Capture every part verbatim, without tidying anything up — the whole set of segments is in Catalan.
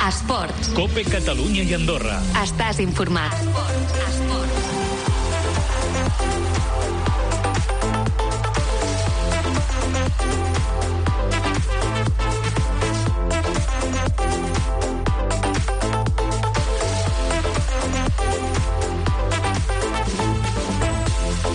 Esports. Cope Catalunya i Andorra. Estàs informat. Esports. Esports.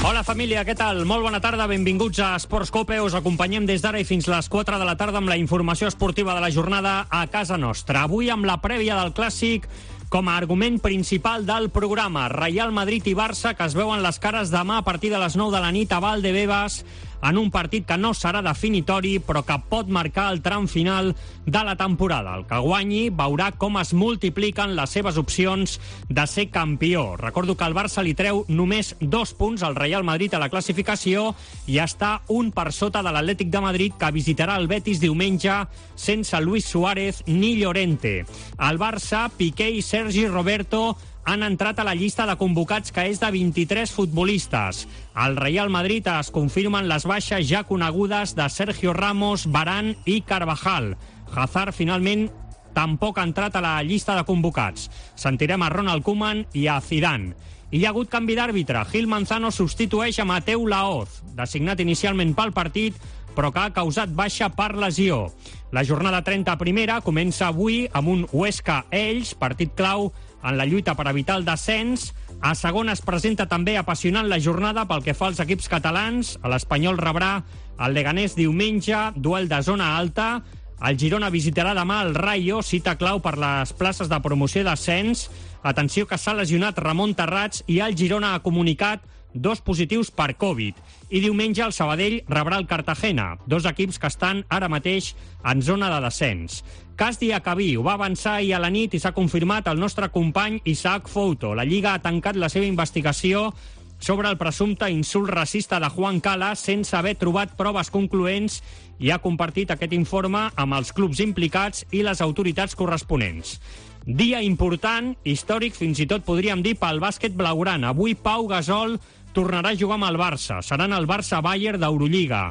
Hola família, què tal? Molt bona tarda, benvinguts a Esports Cope. Us acompanyem des d'ara i fins les quatre de la tarda amb la informació esportiva de la jornada a casa nostra. Avui amb la prèvia del Clàssic com a argument principal del programa. Real Madrid i Barça, que es veuen les cares demà a partir de les nou de la nit a Valdebebas, en un partit que no serà definitori, però que pot marcar el tram final de la temporada. El que guanyi veurà com es multipliquen les seves opcions de ser campió. Recordo que el Barça li treu només dos punts al Real Madrid a la classificació i està un per sota de l'Atlètic de Madrid, que visitarà el Betis diumenge sense Luis Suárez ni Llorente. El Barça, Piqué i Sergi Roberto han entrat a la llista de convocats, que és de vint-i-tres futbolistes. Al Real Madrid es confirmen les baixes ja conegudes de Sergio Ramos, Varane i Carvajal. Hazard finalment tampoc ha entrat a la llista de convocats. Sentirem a Ronald Koeman i a Zidane. I hi ha hagut canvi d'àrbitre. Gil Manzano substitueix a Mateu Laoz, designat inicialment pel partit, però que ha causat baixa per lesió. La jornada trenta primera comença avui amb un Huesca-Elx, partit clau en la lluita per evitar el descens. A segona es presenta també apassionant la jornada pel que fa als equips catalans. L'Espanyol rebrà el Leganés diumenge, duel de zona alta. El Girona visitarà demà el Rayo, cita clau per les places de promoció i d'ascens. Atenció que s'ha lesionat Ramon Terrats i el Girona ha comunicat dos positius per Covid. I diumenge el Sabadell rebrà el Cartagena, dos equips que estan ara mateix en zona de descens. Cas Diacabí ho va avançar ahir a la nit i s'ha confirmat el nostre company Isaac Fouto. La Lliga ha tancat la seva investigació sobre el presumpte insult racista de Juan Cala sense haver trobat proves concloents i ha compartit aquest informe amb els clubs implicats i les autoritats corresponents. Dia important, històric, fins i tot podríem dir pel bàsquet blaugrana. Avui Pau Gasol tornarà a jugar amb el Barça. Seran el Barça-Bayern d'Eurolliga.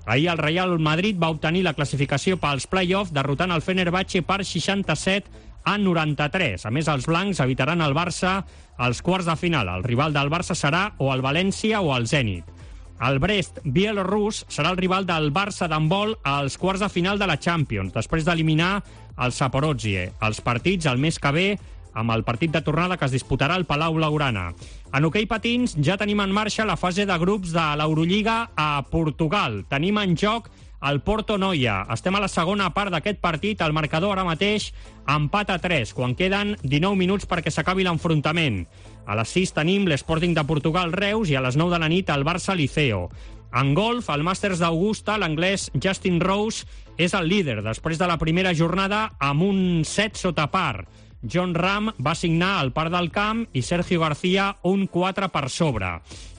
Ahir el Real Madrid va obtenir la classificació pels play-off derrotant el Fenerbahçe per seixanta-set a noranta-tres. A més, els blancs evitaran el Barça als quarts de final. El rival del Barça serà o el València o el Zenit. El Brest bielorrus serà el rival del Barça d'handbol als quarts de final de la Champions, després d'eliminar el Zaporozhye. Els partits el mes que ve, amb el partit de tornada que es disputarà al Palau Blaugrana. En hoquei patins ja tenim en marxa la fase de grups de l'Eurolliga a Portugal. Tenim en joc el Porto Noia. Estem a la segona part d'aquest partit. El marcador ara mateix empat a tres, quan queden dinou minuts perquè s'acabi l'enfrontament. A les sis tenim l'Sporting de Portugal Reus i a les nou de la nit el Barça Liceo. En golf, al Màsters d'Augusta, l'anglès Justin Rose és el líder després de la primera jornada amb un set sota par. John Ram va signar el par del camp i Sergio García un quatre per sobre.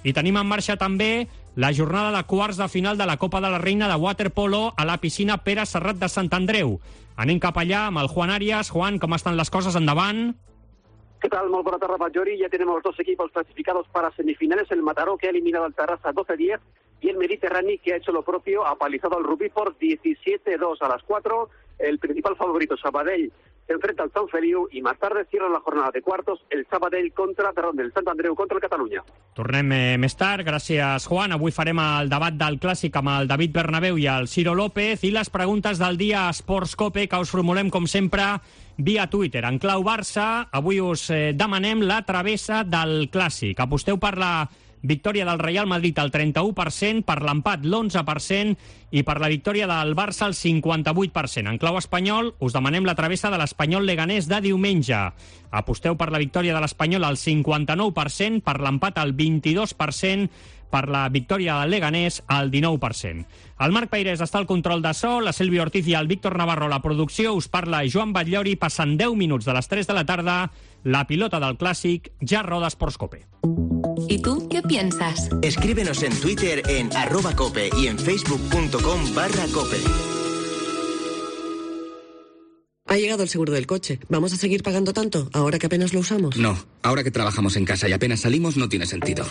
I tenim en marxa també la jornada de quarts de final de la Copa de la Reina de waterpolo a la piscina Pere Serrat de Sant Andreu. Anem cap allà amb el Juan Arias. Juan, ¿cómo están las cosas? Endavant. ¿Qué tal? Muy buena tarde, Majori. Ya tenemos los dos equipos clasificados para semifinales. El Mataró, que ha eliminado al Tarrasa doce diez, y el Mediterráneo, que ha hecho lo propio, ha palizado al Rubí por diecisiete dos. A las cuatro, el principal favorito, Sabadell, se enfrenta al Sant Feliu y más tarde cierra la jornada de cuartos el Sabadell contra, perdón, el Sant Andreu contra el Catalunya. Tornem eh, més tard. Gràcies, Juan. Avui farem el debat del Clàssic amb el David Bernabéu i el Ciro López i les preguntes del dia a Esports Cope, que us formulem, com sempre, via Twitter. En clau Barça, avui us eh, demanem la travessa del Clàssic. Aposteu per la victòria del Real Madrid al trenta-u per cent, per l'empat l'onze per cent i per la victòria del Barça al cinquanta-vuit per cent. En clau espanyol, us demanem la travessa de l'Espanyol Leganés de diumenge. Aposteu per la victòria de l'Espanyol al cinquanta-nou per cent, per l'empat al vint-i-dos per cent, per la victòria del Leganés al dinou per cent. El Marc Peirés està al control de so, la Sílvia Ortiz i el Víctor Navarro a la producció. Us parla Joan Batllori. Passen deu minuts de les tres de la tarda. La pilota del Clàssic ja roda Esports Cope. ¿Y tú qué piensas? Escríbenos en Twitter en arroba cope y en facebook.com barra cope. Ha llegado el seguro del coche. ¿Vamos a seguir pagando tanto ahora que apenas lo usamos? No, ahora que trabajamos en casa y apenas salimos no tiene sentido.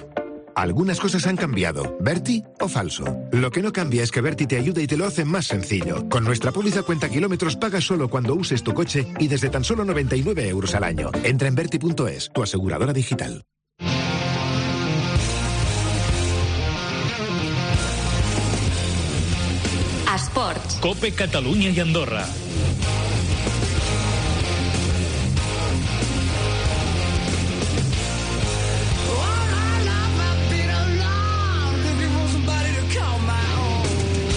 Algunas cosas han cambiado. ¿Berti o falso? Lo que no cambia es que Berti te ayuda y te lo hace más sencillo. Con nuestra póliza cuenta kilómetros pagas solo cuando uses tu coche y desde tan solo noventa y nueve euros al año. Entra en berti punto es, tu aseguradora digital. Esports. Cope Catalunya i Andorra.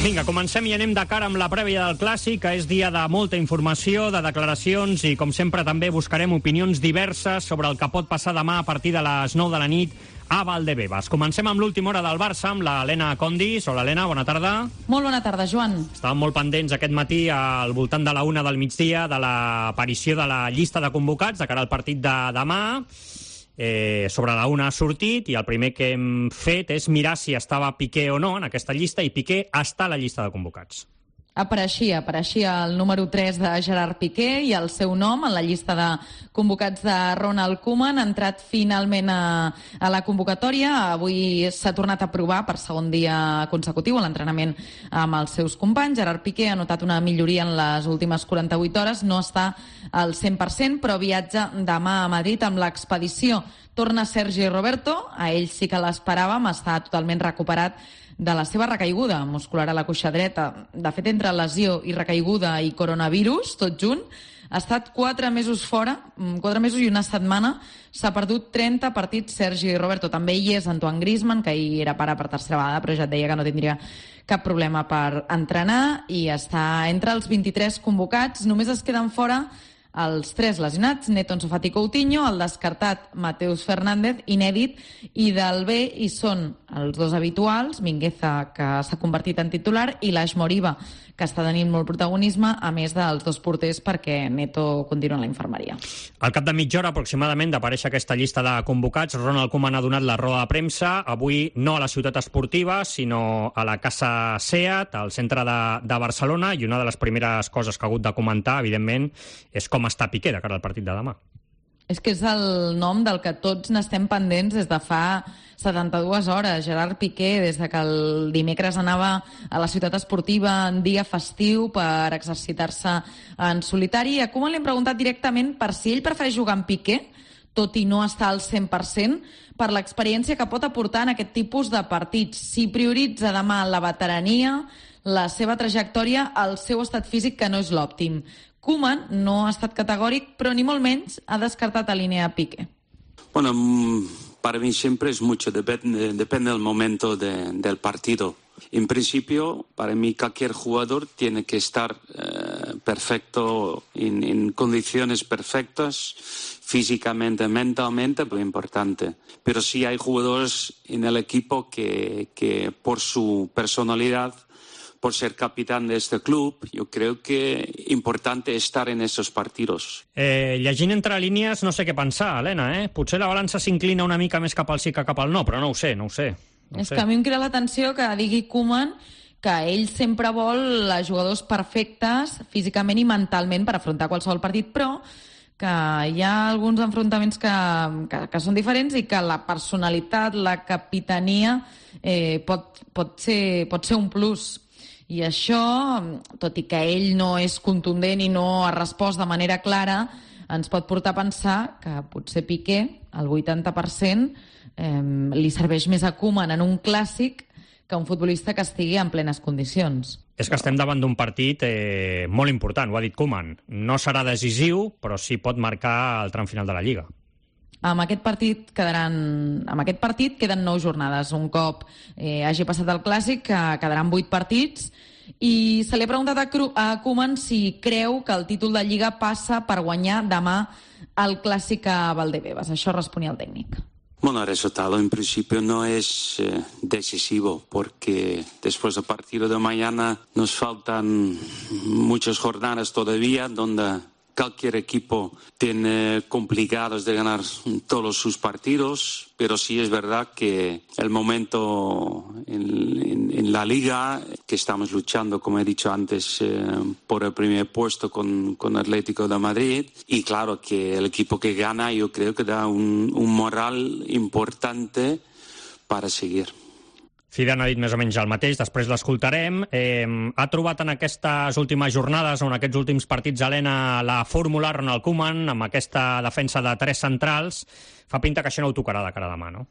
Vinga, comencem i anem de cara amb la prèvia del Clàssic, que és dia de molta informació, de declaracions i, com sempre, també buscarem opinions diverses sobre el que pot passar demà a partir de les nou de la nit a Valdebebas. Comencem amb l'última hora del Barça, amb l'Helena Condis. Hola, Helena, bona tarda. Molt bona tarda, Joan. Estàvem molt pendents aquest matí al voltant de la una del migdia de l'aparició de la llista de convocats de cara al partit de demà. Eh, sobre la una ha sortit i el primer que hem fet és mirar si estava Piqué o no en aquesta llista, i Piqué està a la llista de convocats. Apareixia, apareixia el número tres de Gerard Piqué i el seu nom en la llista de convocats de Ronald Koeman. Ha entrat finalment a, a la convocatòria. Avui s'ha tornat a provar per segon dia consecutiu a l'entrenament amb els seus companys. Gerard Piqué ha notat una milloria en les últimes quaranta-vuit hores. No està al cent per cent, però viatja demà a Madrid amb l'expedició. Torna Sergi Roberto, a ell sí que l'esperàvem, està totalment recuperat de la seva recaiguda muscular a la cuixa dreta. De fet, entre lesió i recaiguda i coronavirus, tot junt, ha estat quatre mesos fora, quatre mesos i una setmana. S'ha perdut trenta partits Sergi Roberto. També hi és Antoine Griezmann, que ahir era pare per tercera vegada, però ja et deia que no tindria cap problema per entrenar, i està entre els vint-i-tres convocats. Només es queden fora els tres lesionats, Neto, Ansu Fati i Coutinho, el descartat Mateus Fernández, inèdit, i del B hi són els dos habituals, Mingueza, que s'ha convertit en titular, i l'Aix Moriba, que està tenint molt protagonisme, a més dels dos porters, perquè Neto continua a la infermeria. Al cap de mitja hora aproximadament d'aparèixer aquesta llista de convocats, Ronald Koeman ha donat la roda de premsa, avui no a la ciutat esportiva, sinó a la Casa Seat, al centre de, de Barcelona, i una de les primeres coses que ha hagut de comentar, evidentment, és com està Piqué de cara al partit de demà. És que és el nom del que tots n'estem pendents des de fa setanta-dues hores. Gerard Piqué, des de que el dimecres anava a la ciutat esportiva en dia festiu per exercitar-se en solitari. A Koeman li hem preguntat directament per si ell prefereix jugar amb Piqué, tot i no estar al cent per cent, per l'experiència que pot aportar en aquest tipus de partits. Si prioritza demà la veterania, la seva trajectòria, el seu estat físic, que no és l'òptim. Koeman no ha estat categòric, però ni molt menys ha descartat alinear a Piqué. Bueno, para mí siempre es mucho, depende, depende del momento de, del partido. En principio, para mí cualquier jugador tiene que estar eh, perfecto, en, en condiciones perfectas, físicamente, mentalmente, muy importante. Pero sí hay jugadores en el equipo que, que por su personalidad, por ser capitán de este club, yo creo que es importante estar en esos partidos. Eh, llegint entre línies, no sé què pensar, Helena, eh? Potser la balança s'inclina una mica més cap al sí que cap al no, però no ho sé, no ho sé. No és sé. que a mi em crida l'atenció que digui Koeman que ell sempre vol jugadors perfectes físicament i mentalment per afrontar qualsevol partit, però que hi ha alguns enfrontaments que, que, que són diferents i que la personalitat, la capitania eh, pot, pot, ser, pot ser un plus. I això, tot i que ell no és contundent i no ha respost de manera clara, ens pot portar a pensar que potser Piqué, el vuitanta per cent, eh, li serveix més a Koeman en un clàssic que un futbolista que estigui en plenes condicions. És que estem davant d'un partit eh, molt important, ho ha dit Koeman. No serà decisiu, però sí pot marcar el tram final de la Lliga. Amb aquest partit quedaran, amb aquest partit queden nou jornades. Un cop eh, hagi passat el Clàssic, que quedaran vuit partits, i se li ha preguntat a, Cru, a Koeman si creu que el títol de Lliga passa per guanyar demà el Clàssic a Valdebebas. Això responia el tècnic. Bueno, el resultado en principio no es eh, decisivo, porque después del partido de mañana nos faltan muchas jornadas todavía donde cualquier equipo tiene complicados de ganar todos sus partidos, pero sí es verdad que el momento en, en, en la Liga, que estamos luchando, como he dicho antes, eh, por el primer puesto con, con Atlético de Madrid, y claro que el equipo que gana yo creo que da un, un moral importante para seguir. Zidane ha dit més o menys el mateix, després l'escoltarem. Eh, ha trobat en aquestes últimes jornades, o en aquests últims partits, Helena, la fórmula Ronald Koeman, amb aquesta defensa de tres centrals. Fa pinta que això no ho tocarà de cara a demà, no?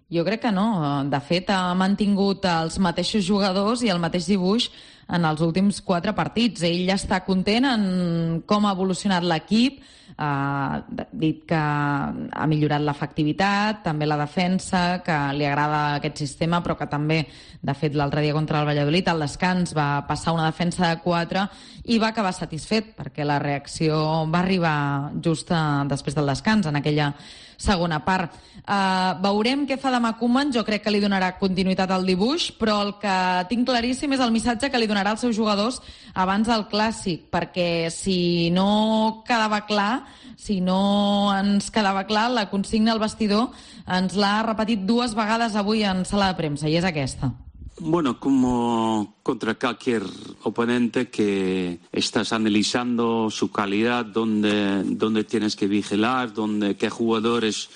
Jo crec que no. De fet, ha mantingut els mateixos jugadors i el mateix dibuix en els últims quatre partits. Ell està content en com ha evolucionat l'equip, ha dit que ha millorat l'efectivitat, també la defensa, que li agrada aquest sistema, però que també, de fet, l'altre dia contra el Valladolid, al descans va passar una defensa de quatre i va acabar satisfet, perquè la reacció va arribar just després del descans, en aquella segona part. Uh, veurem què fa demà Koeman. Jo crec que li donarà continuïtat al dibuix, però el que tinc claríssim és el missatge que li donarà als seus jugadors abans del Clàssic, perquè si no quedava clar, si no ens quedava clar, la consigna al vestidor ens l'ha repetit dues vegades avui en sala de premsa, i és aquesta. Bueno, como contra cualquier oponente que estás analizando su calidad, dónde, dónde tienes que vigilar, dónde, qué jugadores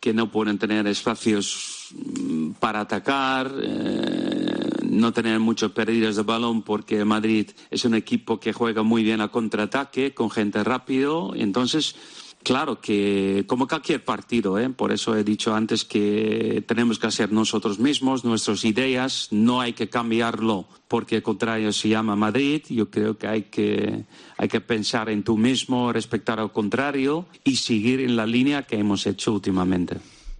que no pueden tener espacios para atacar, eh, no tener muchas pérdidas de balón, porque Madrid es un equipo que juega muy bien a contraataque, con gente rápido, entonces... Claro que, como cualquier partido, ¿eh? Por eso he dicho antes que tenemos que hacer nosotros mismos, nuestras ideas, no hay que cambiarlo porque el contrario se llama Madrid. Yo creo que hay que, hay que pensar en tú mismo, respetar al contrario y seguir en la línea que hemos hecho últimamente.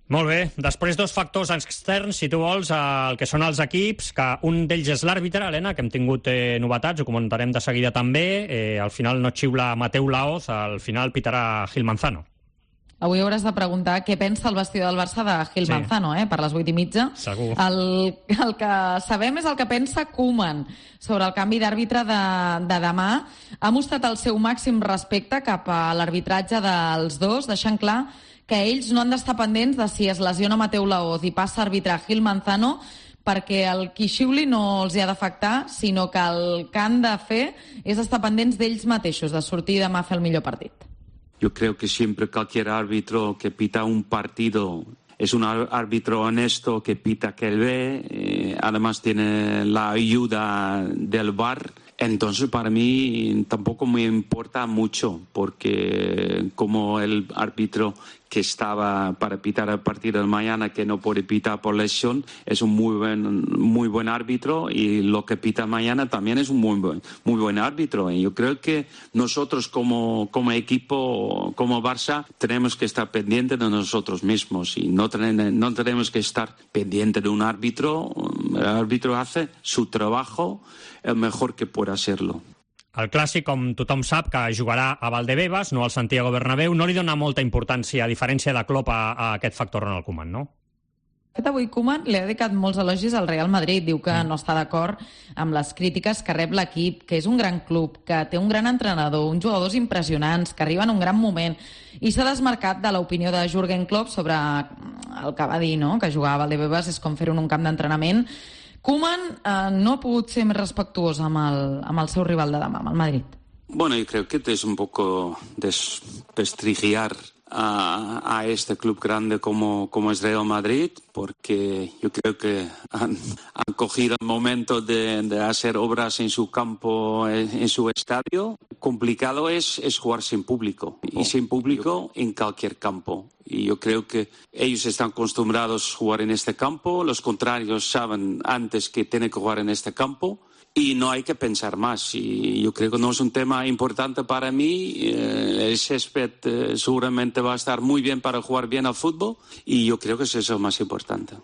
Molt bé. Després, dos factors externs, si tu vols, el que són els equips, que un d'ells és l'àrbitre, Helena, que hem tingut eh, novetats, ho comentarem de seguida també. Eh, al final no xiula Mateu Laoz, al final pitarà Gil Manzano. Avui hauràs de preguntar què pensa el vestidor del Barça de Gil sí. Manzano, eh, per les vuit i mitja. Segur. El, el que sabem és el que pensa Koeman sobre el canvi d'àrbitre de, de demà. Ha mostrat el seu màxim respecte cap a l'arbitratge dels dos, deixant clar que ells no han d'estar pendents de si es lesiona Mateu Laoz i passa a arbitrar Gil Manzano, perquè el qui xiuli no els hi ha d'afectar, sinó que el que han de fer és estar pendents d'ells mateixos, de sortir demà a fer el millor partit. Yo creo que siempre cualquier árbitro que pita un partido es un árbitro honesto que pita que él ve, eh, además tiene la ayuda del V A R. Entonces, para mí tampoco me importa mucho, porque como el árbitro que estaba para pitar el partido de mañana, que no puede pitar por lesión, es un muy buen, muy buen árbitro, y lo que pita mañana también es un muy buen, muy buen árbitro. Y yo creo que nosotros como, como equipo, como Barça, tenemos que estar pendientes de nosotros mismos y no, ten, no tenemos que estar pendientes de un árbitro. El árbitro hace su trabajo el mejor que pueda hacerlo. El Clàssic, com tothom sap, que jugarà a Valdebebas, no al Santiago Bernabéu, no li dona molta importància, a diferència de Klopp, a, a aquest factor Ronald Koeman, no? De fet, avui Koeman li ha dedicat molts elogis al Real Madrid. Diu que no està d'acord amb les crítiques que rep l'equip, que és un gran club, que té un gran entrenador, uns jugadors impressionants, que arriben en un gran moment, i s'ha desmarcat de l'opinió de Jürgen Klopp sobre el que va dir, no?, que jugar a Valdebebas és com fer-ho en un camp d'entrenament. Koeman eh, no ha pogut ser més respectuós amb el, amb el seu rival de demà, amb el Madrid. Bueno, yo creo que es un poco desprestigiar a, a este club grande como, como es Real Madrid, porque yo creo que han, han cogido el momento de, de hacer obras en su campo, en, en su estadio. Complicado es, es jugar sin público, y sin público en cualquier campo. Y yo creo que ellos están acostumbrados a jugar en este campo, los contrarios saben antes que tienen que jugar en este campo, y no hay que pensar más. Y yo creo que no es un tema importante para mí. Eh, el césped eh, seguramente va a estar muy bien para jugar bien al fútbol, y yo creo que eso es lo más importante.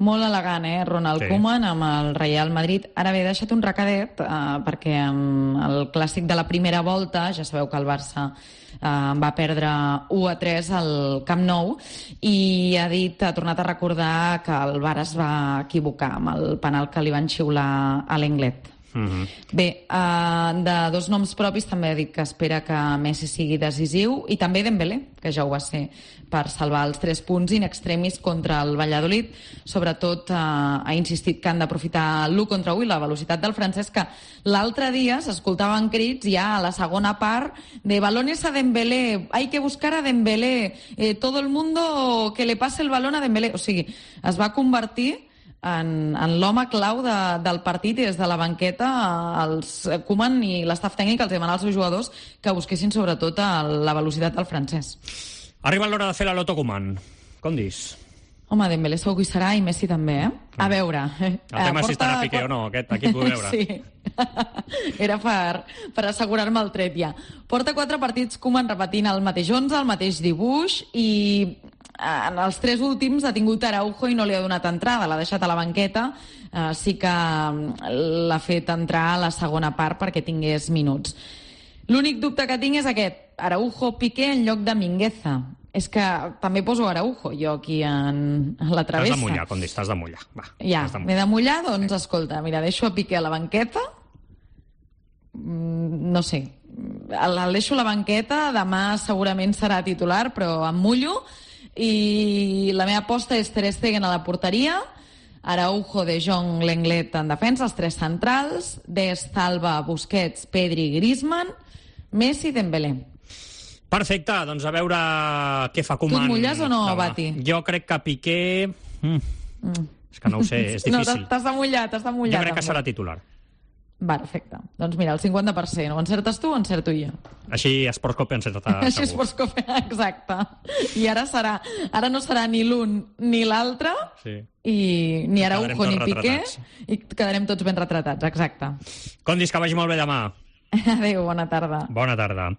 Molt elegant, eh, Ronald sí. Koeman amb el Real Madrid. Ara bé, he deixat un recadet, eh, perquè amb el Clàssic de la primera volta, ja sabeu que el Barça eh, va perdre u a tres al Camp Nou, i ha dit, ha tornat a recordar que el V A R es va equivocar amb el penal que li van xiular a l'Englet. Mm-hmm. Bé, uh, de dos noms propis també ha dit que espera que Messi sigui decisiu, i també Dembélé, que ja ho va ser, per salvar els tres punts in extremis contra el Valladolid. Sobretot uh, ha insistit que han d'aprofitar l'u contra u i la velocitat del francès, que l'altre dia s'escoltaven crits ja a la segona part de balones a Dembélé, hay que buscar a Dembélé, eh, todo el mundo que le pase el balón a Dembélé. O sigui, es va convertir en, en l'home clau de, del partit, i des de la banqueta els Koeman i l'estaf tècnic els demanen als seus jugadors que busquessin sobretot a la velocitat del francès. Arriba l'hora de fer la loto Koeman. Com dis? Home, Dembélé segur que hi serà, i Messi també, eh? A veure... El tema és si estarà Piqué o no, aquest, aquí et vull veure. Sí, era per, per assegurar-me el tret ja. Porta quatre partits Koeman repetint el mateix onze, el mateix dibuix, i en els tres últims ha tingut Araujo i no li ha donat entrada, l'ha deixat a la banqueta. Uh, sí que l'ha fet entrar a la segona part perquè tingués minuts. L'únic dubte que tinc és aquest, Araujo-Piqué en lloc de Mingueza. És que també poso Araujo, jo aquí en, en la travessa. T'has de mullar, com dius, t'has de mullar. Va, ja, de mullar. m'he de mullar, doncs escolta, mira, deixo a Piqué a la banqueta, mm, no sé, el, el deixo a la banqueta, demà segurament serà titular, però em mullo, i la meva aposta és Ter Stegen a la porteria, Araujo, De Jong, Lenglet en defensa, els tres centrals, Dest, Alba, Busquets, Pedri, Griezmann, Messi, Dembélé. Perfecte, doncs a veure què fa Koeman. Tu et mulles o no, Bati? Jo crec que Piqué... Mm. Mm. És que no ho sé, és difícil. No, t'has de mullar, t'has de mullar. Jo crec que també serà titular. Perfecte. Doncs mira, el cinquanta per cent. O encertes tu o encerto jo. Així Sportscope encerta segur. Així Sportscope, exacte. I ara serà, ara no serà ni l'un ni l'altre, sí. I ni Araujo ni Piqué, i quedarem tots ben retratats, exacte. Com dius, que vagi molt bé demà. Adéu, bona tarda. Bona tarda.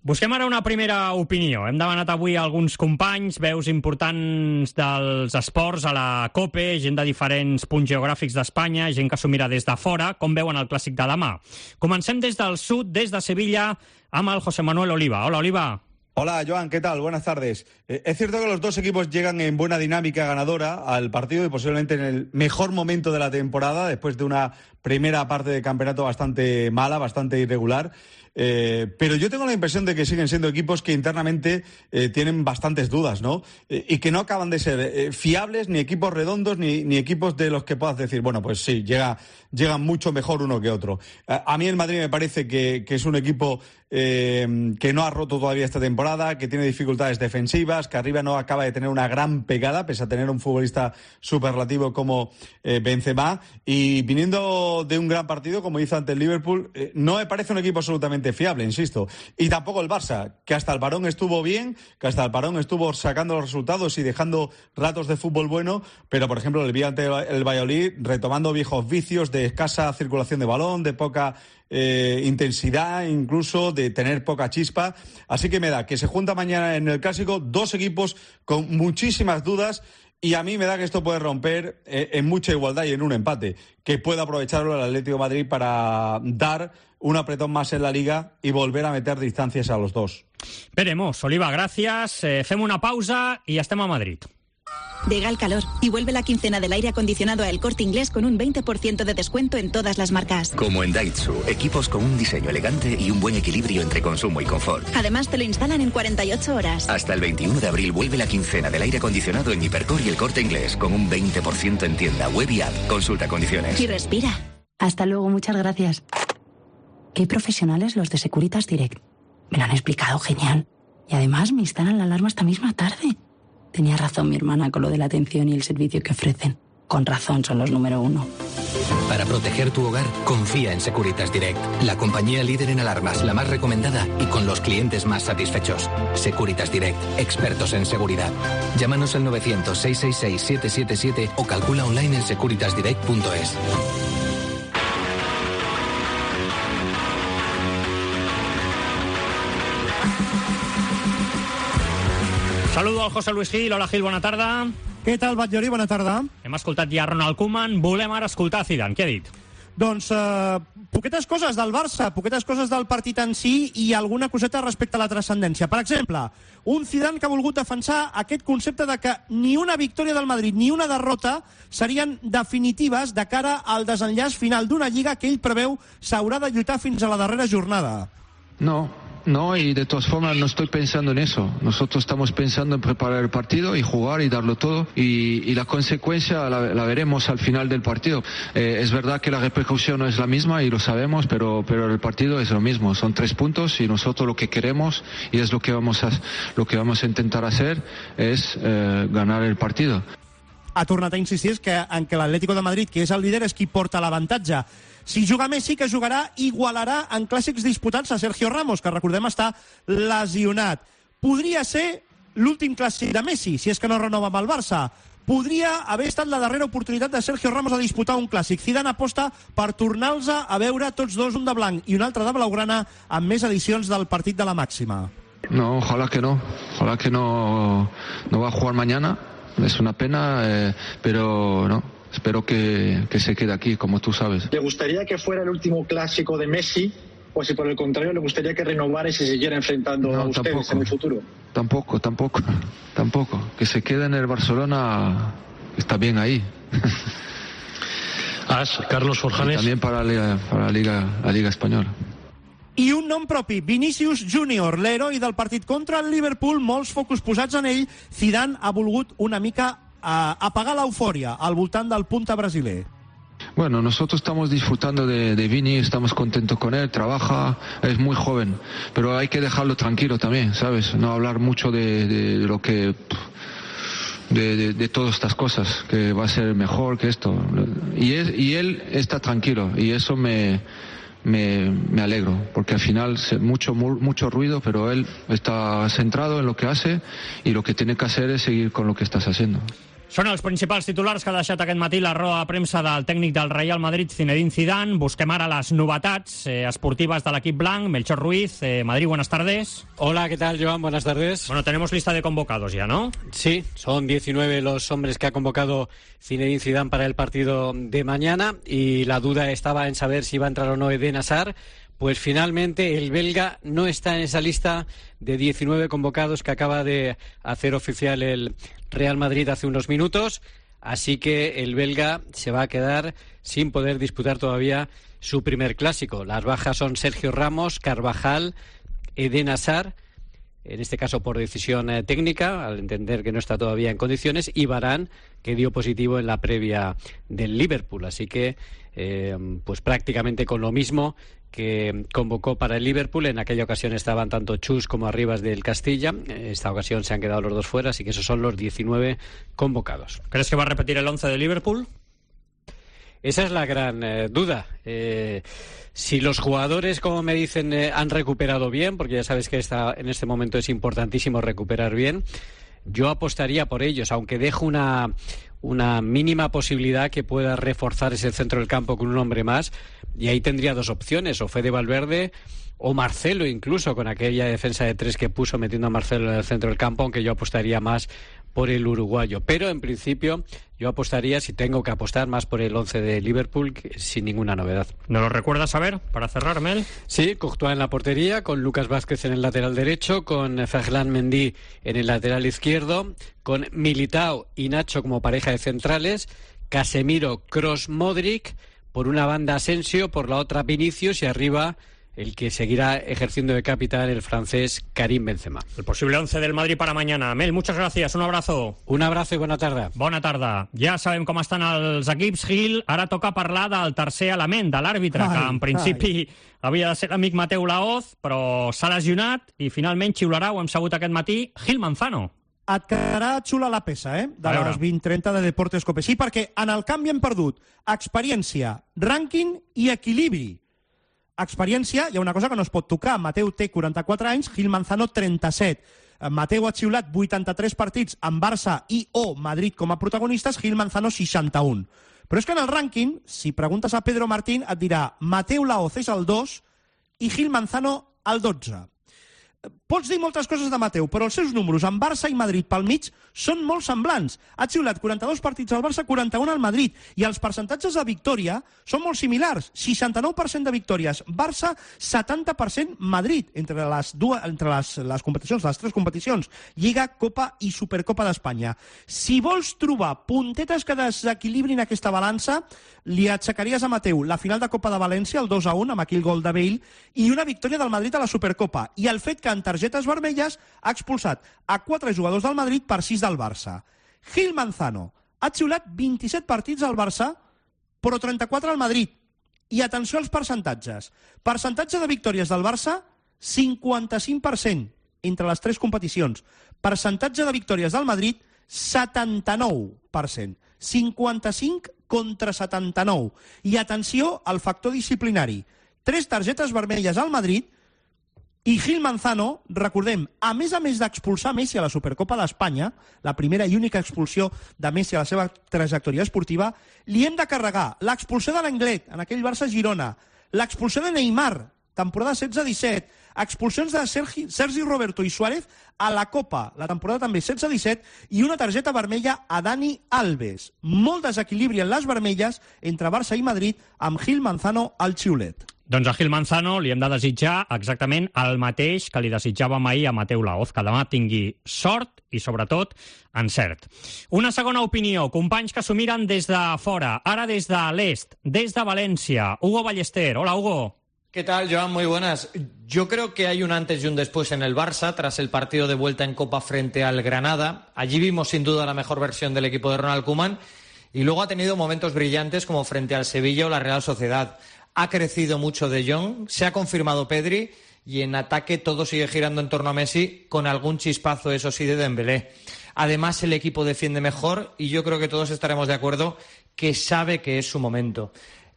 Busquem ara una primera opinió. Hem demanat avui a alguns companys, veus importants dels esports a la COPE, gent de diferents punts geogràfics d'Espanya, gent que s'ho mira des de fora, com veuen el clàssic de demà. Comencem des del sud, des de Sevilla, amb el José Manuel Oliva. Hola, Oliva. Hola, Joan, ¿qué tal? Buenas tardes. Eh, es cierto que los dos equipos llegan en buena dinámica ganadora al partido y posiblemente en el mejor momento de la temporada, después de una primera parte de campeonato bastante mala, bastante irregular. Eh, pero yo tengo la impresión de que siguen siendo equipos que internamente eh, tienen bastantes dudas, ¿no? Eh, y que no acaban de ser eh, fiables, ni equipos redondos, ni, ni equipos de los que puedas decir, bueno, pues sí, llega, llegan mucho mejor uno que otro. A, a mí el Madrid me parece que, que es un equipo eh, que no ha roto todavía esta temporada, que tiene dificultades defensivas, que arriba no acaba de tener una gran pegada, pese a tener un futbolista superlativo como eh, Benzema, y viniendo de un gran partido, como hizo ante el Liverpool, eh, no me parece un equipo absolutamente fiable, insisto. Y tampoco el Barça, que hasta el parón estuvo bien, que hasta el parón estuvo sacando los resultados y dejando ratos de fútbol bueno, pero por ejemplo el día ante el Valladolid retomando viejos vicios de escasa circulación de balón, de poca eh, intensidad, incluso de tener poca chispa. Así que me da que se junta mañana en el Clásico dos equipos con muchísimas dudas. Y a mí me da que esto puede romper eh, en mucha igualdad y en un empate, que puede aprovecharlo el Atlético de Madrid para dar un apretón más en la Liga y volver a meter distancias a los dos. Veremos. Oliva, gracias. Eh, fem una pausa y estem a Madrid. Llega el calor y vuelve la quincena del aire acondicionado a El Corte Inglés con un veinte por ciento de descuento en todas las marcas. Como en Daitsu, equipos con un diseño elegante y un buen equilibrio entre consumo y confort. Además te lo instalan en cuarenta y ocho horas. Hasta el veintiuno de abril vuelve la quincena del aire acondicionado en Hipercor y El Corte Inglés con un veinte por ciento en tienda, web y app. Consulta condiciones. Y respira. Hasta luego, muchas gracias. Qué profesionales los de Securitas Direct. Me lo han explicado genial. Y además me instalan la alarma esta misma tarde. Tenía razón mi hermana con lo de la atención y el servicio que ofrecen. Con razón son los número uno. Para proteger tu hogar, confía en Securitas Direct, la compañía líder en alarmas, la más recomendada y con los clientes más satisfechos. Securitas Direct, expertos en seguridad. Llámanos al novecientos, seiscientos sesenta y seis, setecientos setenta y siete o calcula online en securitas direct punto es. Saludo al José Luis Gil. Hola, Gil, bona tarda. Què tal, Batllori? Bona tarda. Hem escoltat ja Ronald Koeman. Volem ara escoltar Zidane. Què ha dit? Doncs eh, poquetes coses del Barça, poquetes coses del partit en si i alguna coseta respecte a la transcendència. Per exemple, un Zidane que ha volgut defensar aquest concepte de que ni una victòria del Madrid ni una derrota serien definitives de cara al desenllaç final d'una lliga que ell preveu s'haurà de lluitar fins a la darrera jornada. No. No, y de todas formas no estoy pensando en eso. Nosotros estamos pensando en preparar el partido y jugar y darlo todo. Y, y la consecuencia la, la veremos al final del partido. Eh, es verdad que la repercusión no es la misma y lo sabemos, pero, pero el partido es lo mismo. Son tres puntos y nosotros lo que queremos y es lo que vamos a, lo que vamos a intentar hacer es eh, ganar el partido. Ha tornat a insistir que, en que l'Atlético de Madrid, que és el líder, és qui porta l'avantatge. Si juga Messi, que jugarà, igualarà en clàssics disputats a Sergio Ramos, que recordem està lesionat. Podria ser l'últim clàssic de Messi, si és que no renova amb el Barça. Podria haver estat la darrera oportunitat de Sergio Ramos a disputar un clàssic. Zidane aposta per tornar-los a veure tots dos, un de blanc i un altre de blaugrana, amb més edicions del partit de la màxima. No, ojalá que no. Ojalá que no, no va a jugar mañana. Es una pena, eh, pero no. Espero que, que se quede aquí, como tú sabes. ¿Le gustaría que fuera el último clásico de Messi? O si por el contrario le gustaría que renovara y se siguiera enfrentando no, a ustedes tampoco, en el futuro? Tampoco, tampoco, tampoco. Que se quede en el Barcelona, está bien ahí. As, Carlos Forjanes. Y también para, la Liga, para la, Liga, la Liga Española. I un nom propi, Vinícius Júnior, l'heroi del partit contra el Liverpool, molts focus posats en ell. Zidane ha volgut una mica a apagar la euforia al voltant del punta brasiler. Bueno, nosotros estamos disfrutando de, de Vini, estamos contentos con él, trabaja, es muy joven, pero hay que dejarlo tranquilo también, ¿sabes? No hablar mucho de, de, de lo que... De, de, de todas estas cosas, que va a ser mejor que esto. Y, es, y él está tranquilo, y eso me... Me, me alegro, porque al final mucho, mucho ruido, pero él está centrado en lo que hace y lo que tiene que hacer es seguir con lo que estás haciendo. Són els principals titulars que ha deixat aquest matí la roda de premsa del tècnic del Real Madrid, Zinedine Zidane. Busquem ara les novetats eh, esportives de l'equip blanc. Melchor Ruiz, eh, Madrid, buenas tardes. Hola, ¿qué tal, Joan? Buenas tardes. Bueno, tenemos lista de convocados ya, ¿no? Sí, son diecinueve los hombres que ha convocado Zinedine Zidane para el partido de mañana y la duda estaba en saber si iba a entrar o no Eden Hazard. Pues finalmente el belga no está en esa lista de diecinueve convocados que acaba de hacer oficial el Real Madrid hace unos minutos, así que el belga se va a quedar sin poder disputar todavía su primer clásico. Las bajas son Sergio Ramos, Carvajal, Eden Hazard, en este caso por decisión eh, técnica, al entender que no está todavía en condiciones, y Varane, que dio positivo en la previa del Liverpool. Así que, eh, pues prácticamente con lo mismo que convocó para el Liverpool. En aquella ocasión estaban tanto Chus como Arribas del Castilla. En esta ocasión se han quedado los dos fuera, así que esos son los diecinueve convocados. ¿Crees que va a repetir el once de Liverpool? Esa es la gran eh, duda. Eh, si los jugadores, como me dicen, eh, han recuperado bien, porque ya sabes que esta, en este momento es importantísimo recuperar bien, yo apostaría por ellos, aunque dejo una, una mínima posibilidad que pueda reforzar ese centro del campo con un hombre más, y ahí tendría dos opciones, o Fede Valverde o Marcelo, incluso con aquella defensa de tres que puso metiendo a Marcelo en el centro del campo, aunque yo apostaría más por el uruguayo. Pero en principio yo apostaría, si tengo que apostar, más por el once de Liverpool, que, sin ninguna novedad. ¿No lo recuerdas a ver, para cerrar, Mel? Sí, Courtois en la portería, con Lucas Vázquez en el lateral derecho, con Ferland Mendy en el lateral izquierdo, con Militao y Nacho como pareja de centrales, Casemiro, Kroos, Modric, por una banda Asensio, por la otra Vinicius y arriba el que seguirá ejerciendo de capitán, el francés Karim Benzema. El posible once del Madrid para mañana. Mel, muchas gracias, un abrazo. Un abrazo i bona tarda. Bona tarda. Ja sabem com estan els equips, Gil. Ara toca parlar del tercer element, de l'àrbitre, que en principi ai. havia de ser l'amic Mateu Laoz, però s'ha lesionat i finalment xiularà, ho hem sabut aquest matí, Gil Manzano. Et quedarà xula la peça, eh? De les vint trenta de Deportes Cope. Sí, perquè en el canvi hem perdut experiència, rànquing i equilibri. Experiència, hi ha una cosa que no es pot tocar. Mateu té quaranta-quatre anys, Gil Manzano trenta-set. Mateu ha xiulat vuitanta-tres partits amb Barça i o Madrid com a protagonistes, Gil Manzano seixanta-un. Però és que en el rànquing, si preguntes a Pedro Martín, et dirà Mateu Laoz és el dos i Gil Manzano el dotze. Pots dir moltes coses de Mateu, però els seus números amb Barça i Madrid pel mig són molt semblants. Ha xiulat quaranta-dos partits al Barça, quaranta-un al Madrid, i els percentatges de victòria són molt similars. seixanta-nou per cent de victòries Barça, setanta per cent Madrid, entre les dues, entre les, les competicions, les tres competicions, Lliga, Copa i Supercopa d'Espanya. Si vols trobar puntetes que desequilibrin aquesta balança, li aixecaries a Mateu la final de Copa de València, el dos a un, amb aquell gol de Bale, i una victòria del Madrid a la Supercopa, i el fet que en targetes vermelles ha expulsat a quatre jugadors del Madrid per sis del Barça. Gil Manzano ha xiulat vint-i-set partits al Barça, però trenta-quatre al Madrid. I atenció als percentatges. Percentatge de victòries del Barça, cinquanta-cinc per cent entre les tres competicions. Percentatge de victòries del Madrid, setanta-nou per cent. cinquanta-cinc contra setanta-nou. I atenció al factor disciplinari. Tres targetes vermelles al Madrid, i Gil Manzano, recordem, a més a més d'expulsar Messi a la Supercopa d'Espanya, la primera i única expulsió de Messi a la seva trajectòria esportiva, li hem de carregar l'expulsió de l'Anglet en aquell Barça-Girona, l'expulsió de Neymar, temporada setze disset, expulsions de Sergi, Sergi Roberto i Suárez a la Copa, la temporada també setze disset, i una targeta vermella a Dani Alves. Molt desequilibri en les vermelles entre Barça i Madrid amb Gil Manzano al xiulet. Doncs a Gil Manzano li hem de desitjar exactament el mateix que li desitjàvem ahir a Mateu Laoz, que demà tingui sort i, sobretot, encert. Una segona opinió, companys que s'ho miren des de fora, ara des de l'est, des de València. Hugo Ballester. Hola, Hugo. ¿Qué tal, Joan? Muy buenas. Yo creo que hay un antes y un después en el Barça tras el partido de vuelta en Copa frente al Granada. Allí vimos sin duda la mejor versión del equipo de Ronald Koeman y luego ha tenido momentos brillantes como frente al Sevilla o la Real Sociedad. Ha crecido mucho De Jong, se ha confirmado Pedri y en ataque todo sigue girando en torno a Messi, con algún chispazo, eso sí, de Dembélé. Además, el equipo defiende mejor y yo creo que todos estaremos de acuerdo que sabe que es su momento.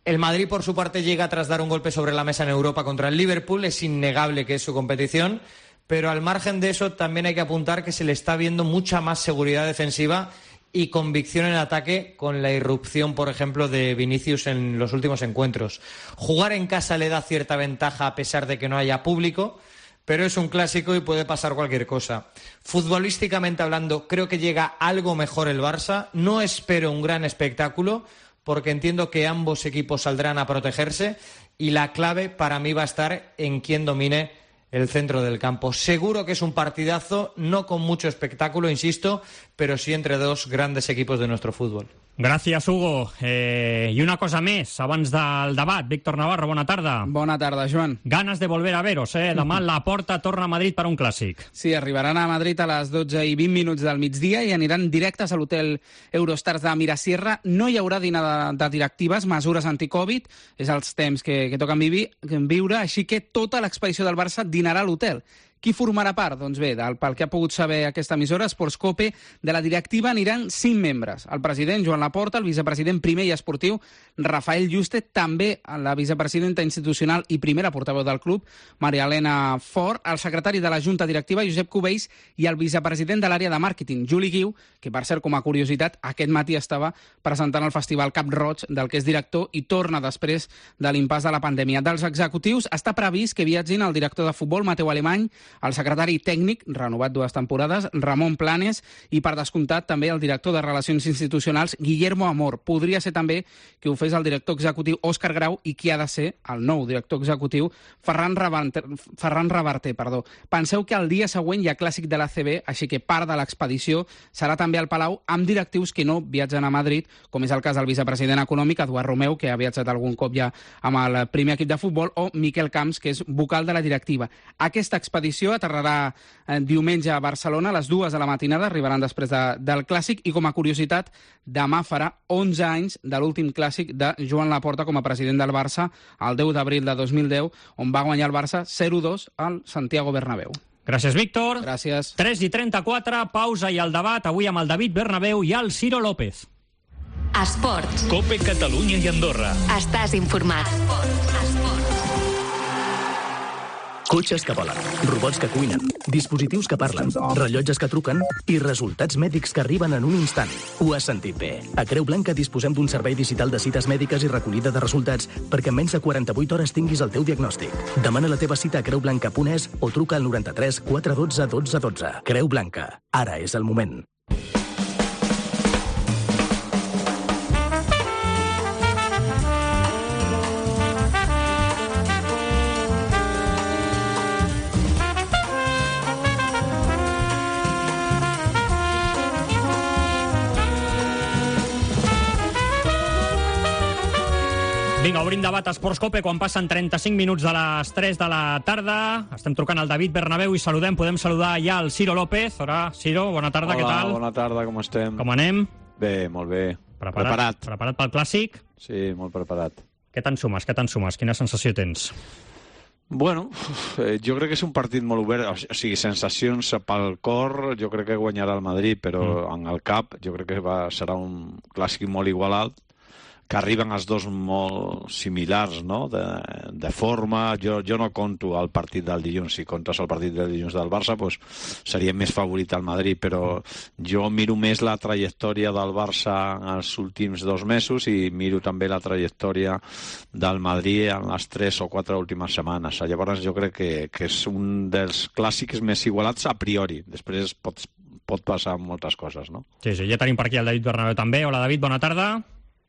El Madrid, por su parte, llega tras dar un golpe sobre la mesa en Europa contra el Liverpool. Es innegable que es su competición, pero al margen de eso también hay que apuntar que se le está viendo mucha más seguridad defensiva y convicción en ataque con la irrupción, por ejemplo, de Vinicius en los últimos encuentros. Jugar en casa le da cierta ventaja a pesar de que no haya público, pero es un clásico y puede pasar cualquier cosa. Futbolísticamente hablando, creo que llega algo mejor el Barça. No espero un gran espectáculo, porque entiendo que ambos equipos saldrán a protegerse y la clave para mí va a estar en quién domine el centro del campo. Seguro que es un partidazo, no con mucho espectáculo, insisto, pero sí entre dos grandes equipos de nuestro fútbol. Gràcies, Hugo. Eh, I una cosa més, abans del debat. Víctor Navarro, bona tarda. Bona tarda, Joan. Ganes de volver a veros, eh? Demà la Porta torna a Madrid per un clàssic. Sí, arribaran a Madrid a les dotze i vint minuts del migdia i aniran directes a l'hotel Eurostars de Mirasierra. No hi haurà dinar de, de directives, mesures anti-Covid, és els temps que, que toquen vivi, viure, així que tota l'expedició del Barça dinarà a l'hotel. Qui formarà part? Doncs bé, del, pel que ha pogut saber aquesta emissora, Sportscope, de la directiva aniran cinc membres. El president, Joan Laporta, el vicepresident primer i esportiu, Rafael Juste, també la vicepresidenta institucional i primera portaveu del club, Maria Elena Fort, el secretari de la Junta Directiva, Josep Cubells, i el vicepresident de l'àrea de màrqueting, Juli Guiu, que per cert, com a curiositat, aquest matí estava presentant el Festival Cap Roig, del que és director, i torna després de l'impàs de la pandèmia. Dels executius està previst que viatgin el director de futbol, Mateu Alemany, el secretari tècnic, renovat dues temporades, Ramon Planes, i per descomptat també el director de Relacions Institucionals, Guillermo Amor. Podria ser també que ho fes el director executiu Òscar Grau i qui ha de ser el nou director executiu Ferran Reverter. Ferran Reverter perdó. Penseu que el dia següent hi ha clàssic de l'A C B, així que part de l'expedició serà també al Palau amb directius que no viatgen a Madrid, com és el cas del vicepresident econòmic, Eduard Romeu, que ha viatjat algun cop ja amb el primer equip de futbol, o Miquel Camps, que és vocal de la directiva. Aquesta expedició aterrarà eh, diumenge a Barcelona a les dues de la matinada, arribaran després de, del Clàssic, i com a curiositat, demà farà onze anys de l'últim Clàssic de Joan Laporta com a president del Barça, el deu d'abril de dos mil deu, on va guanyar el Barça zero dos al Santiago Bernabéu. Gràcies, Víctor. Gràcies. tres i trenta-quatre, pausa i el debat, avui amb el David Bernabéu i el Ciro López. Esports. Cope Catalunya i Andorra. Estàs informat. Esports. Esports. Cotxes que volen, robots que cuinen, dispositius que parlen, rellotges que truquen i resultats mèdics que arriben en un instant. Ho has sentit bé. A Creu Blanca disposem d'un servei digital de cites mèdiques i recollida de resultats perquè en menys de quaranta-vuit hores tinguis el teu diagnòstic. Demana la teva cita a creu blanca punt es o truca al noranta-tres quatre dotze dotze dotze. Creu Blanca. Ara és el moment. Vinga, obrim debat a Esports Cope quan passen trenta-cinc minuts de les tres de la tarda. Estem trucant al David Bernabéu i saludem, podem saludar ja el Ciro López. Hola, Ciro, bona tarda, Hola, què tal? Bona tarda, com estem? Com anem? Bé, molt bé. Preparat? Preparat. Preparat pel Clàssic? Sí, molt preparat. Què te'n sumes, què te'n sumes? Quina sensació tens? Bueno, eh, jo crec que és un partit molt obert, o sigui, sensacions pel cor, jo crec que guanyarà el Madrid, però mm. en el cap jo crec que va, serà un Clàssic molt igualat, que arriben els dos molt similars, no?, de, de forma. Jo, jo no conto el partit del dilluns. Si comptes el partit del dilluns del Barça, pues, seria més favorit al Madrid, però jo miro més la trajectòria del Barça en els últims dos mesos i miro també la trajectòria del Madrid en les tres o quatre últimes setmanes. Llavors jo crec que, que és un dels clàssics més igualats a priori. Després pot, pot passar moltes coses, no? Sí, sí, ja tenim per aquí el David Bernabéu també. Hola, David, bona tarda.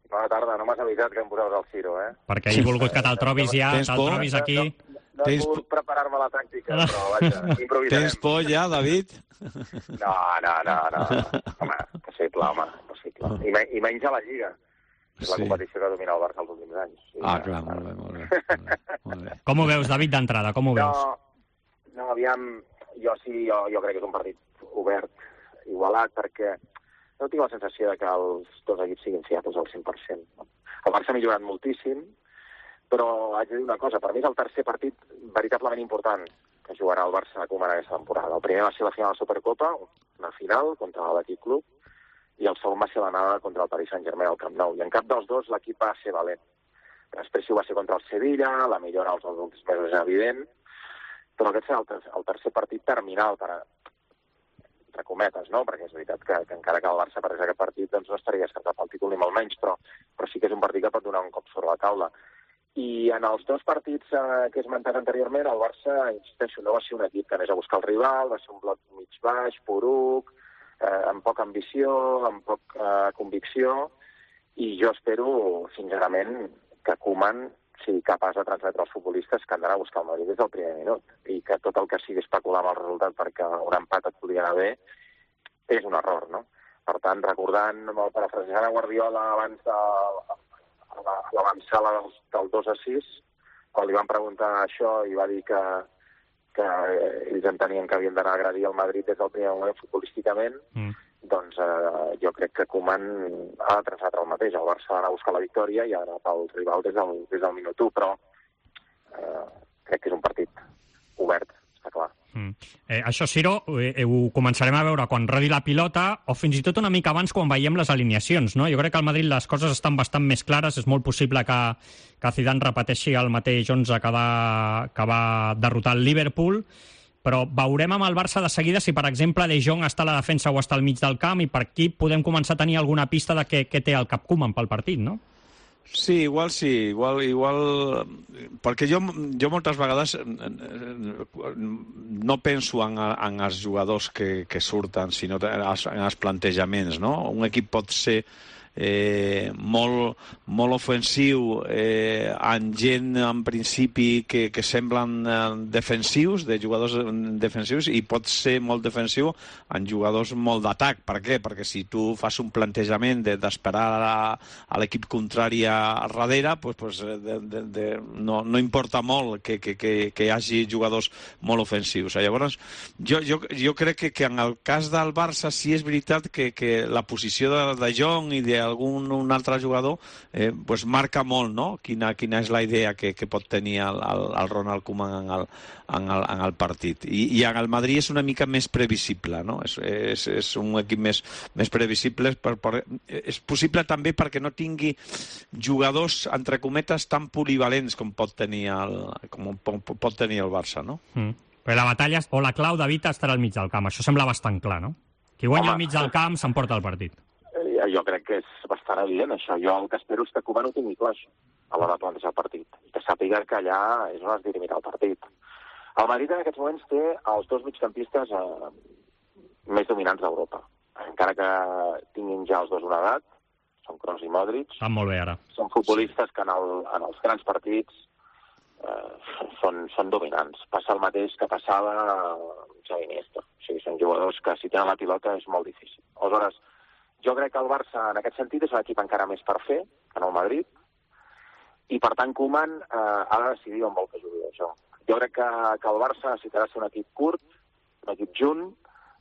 Bona tarda, no m'has avisat que em posaves el Ciro, eh? Perquè he volgut que te'l trobis ja, te'l trobis aquí. No, no, no he pogut preparar-me la tàctica, però vaja, improvisarem. Tens por ja, David? No, no, no, no. Home, possible, home, possible. I, me, i menys a la Lliga. És la Sí. competició que domina el Barça els últims anys. Sí, Ah, clar, molt bé, molt bé. Molt bé. Com ho veus, David, d'entrada? Com ho veus? No, no, aviam, jo sí, jo, jo crec que és un partit obert, igualat, perquè no tinc la sensació de que els dos equips siguin fiables al cent per cent. El Barça ha millorat moltíssim, però haig de dir una cosa, per mi és el tercer partit veritablement important que jugarà el Barça a Koeman aquesta temporada. El primer va ser la final de la Supercopa, una final contra l'Atlètic Club, i el segon va ser l'anada contra el Paris Saint-Germain al Camp Nou. I en cap dels dos l'equip va ser valent. Després sí ho va ser contra el Sevilla, la millora als últims mesos és evident, però aquest serà el, ter el tercer partit terminal per a entre cometes, no? Perquè és veritat que, que encara que el Barça perdés aquest partit doncs no estaria escartat pel títol ni molt menys, però, però sí que és un partit que pot donar un cop sobre la taula. I en els dos partits eh, que he esmentat anteriorment, el Barça, insisteixo, no va ser un equip que anés a buscar el rival, va ser un bloc mig baix, poruc, eh, amb poca ambició, amb poca eh, convicció, i jo espero, sincerament, que Koeman sigui capaç de transmetre als futbolistes que han d'anar a buscar el Madrid des del primer minut i que tot el que sigui especular amb el resultat perquè un empat et podria anar bé és un error, no? Per tant, recordant, parafrasejant a Guardiola abans de l'avançada del, del dos a sis, quan li van preguntar això i va dir que, que ells entenien que havien d'anar a agredir el Madrid des del primer moment futbolísticament, mm. doncs eh, jo crec que Koeman ha de transmetre el mateix. El Barça ha d'anar a buscar la victòria i ha d'anar pel rival des del, des del minut u, però eh, crec que és un partit obert, està clar. Mm. Eh, això, Ciro, eh, ho començarem a veure quan rodi la pilota o fins i tot una mica abans quan veiem les alineacions, no? Jo crec que al Madrid les coses estan bastant més clares. És molt possible que, que Zidane repeteixi el mateix onze que va, que va derrotar el Liverpool, però veurem amb el Barça de seguida si, per exemple, De Jong està a la defensa o està al mig del camp, i per aquí podem començar a tenir alguna pista de què, què té el cap Koeman pel partit, no? Sí, igual sí, igual, igual... Perquè jo, jo moltes vegades no penso en, en els jugadors que, que surten, sinó en els, en els plantejaments, no? Un equip pot ser eh, molt, molt ofensiu eh, en gent, en principi, que, que semblen eh, defensius, de jugadors defensius, i pot ser molt defensiu en jugadors molt d'atac. Per què? Perquè si tu fas un plantejament d'esperar de, a, a l'equip contrari a darrere, pues, pues, de, de, de, no, no importa molt que, que, que, que hi hagi jugadors molt ofensius. Llavors, jo, jo, jo crec que, que en el cas del Barça sí és veritat que, que la posició de, de Jong i de algun un altre jugador eh, pues marca molt, no? Quina, quina és la idea que, que pot tenir el, el, el Ronald Koeman en el, en el, en el partit. I, i en el Madrid és una mica més previsible, no? És, és, és un equip més, més previsible. Per, per, és possible també perquè no tingui jugadors, entre cometes, tan polivalents com pot tenir el, com pot tenir el Barça, no? Mm. Però la batalla o la clau, David, estarà al mig del camp. Això sembla bastant clar, no? Qui guanya al mig del camp s'emporta el partit. Eh, jo crec que és bastant evident, això. Jo el que espero és que Koeman ho tingui clar, això, a l'hora de plantejar el partit. I que sàpiga que allà és on es dirimirà el partit. El Madrid en aquests moments té els dos migcampistes eh, més dominants d'Europa. Encara que tinguin ja els dos una edat, són Kroos i Modric. Estan molt bé, ara. Són futbolistes que en, el, en els grans partits eh, són, són dominants. Passa el mateix que passava Xavi Iniesta. O sigui, són jugadors que si tenen la pilota és molt difícil. Aleshores, jo crec que el Barça, en aquest sentit, és un equip encara més per fer que no el Madrid, i per tant Koeman eh, ha de decidir on vol que jugui això. Jo crec que, que el Barça necessitarà ser un equip curt, un equip junt,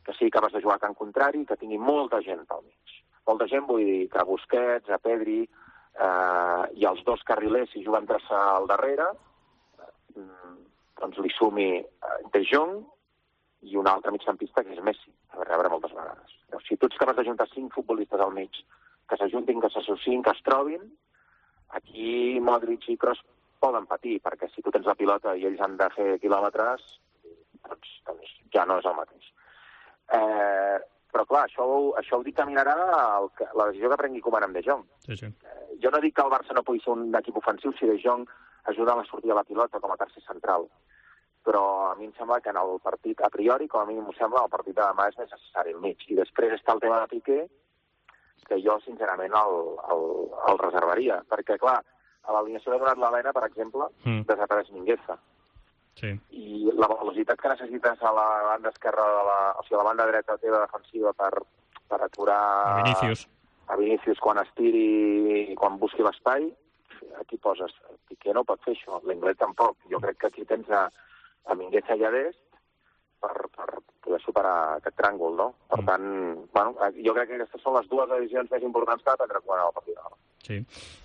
que sigui capaç de jugar a camp contrari, que tingui molta gent pel mig. Molta gent, vull dir que a Busquets, a Pedri eh, i els dos carrilers, si juguen traçar al darrere, eh, doncs li sumi eh, De Jong i un altre migcampista que és Messi, a rebre moltes vegades. Si tu ets capaç de juntar cinc futbolistes al mig, que s'ajuntin, que s'associïn, que es trobin, aquí Modric i Kroos poden patir, perquè si tu tens la pilota i ells han de fer quilòmetres, doncs, doncs ja no és el mateix. Eh, però clar, això, això ho dictaminarà el, la decisió que prengui Koeman amb De Jong. Sí, sí. Eh, jo no dic que el Barça no pugui ser un equip ofensiu si De Jong ajuda a la sortida de la pilota com a tercer central, però a mi em sembla que en el partit, a priori, com a mínim m'ho sembla, el partit de demà és més necessari al mig. I després està el tema de Piqué, que jo, sincerament, el, el, el reservaria. Perquè, clar, a l'alineació de donat l'Helena, per exemple, mm. desapareix Mingueza. Sí. I la velocitat que necessites a la banda esquerra, de la, o sigui, a la banda dreta teva defensiva per, per aturar a Vinícius. a Vinícius quan estiri i quan busqui l'espai, aquí poses Piqué no pot fer això, l'Inglés tampoc. Jo crec que aquí tens a a Mingueza i a Dest per, per poder superar aquest tràngol, no? Per tant, bueno, jo crec que aquestes són les dues decisions més importants que ha de prendre quan el partit. Sí.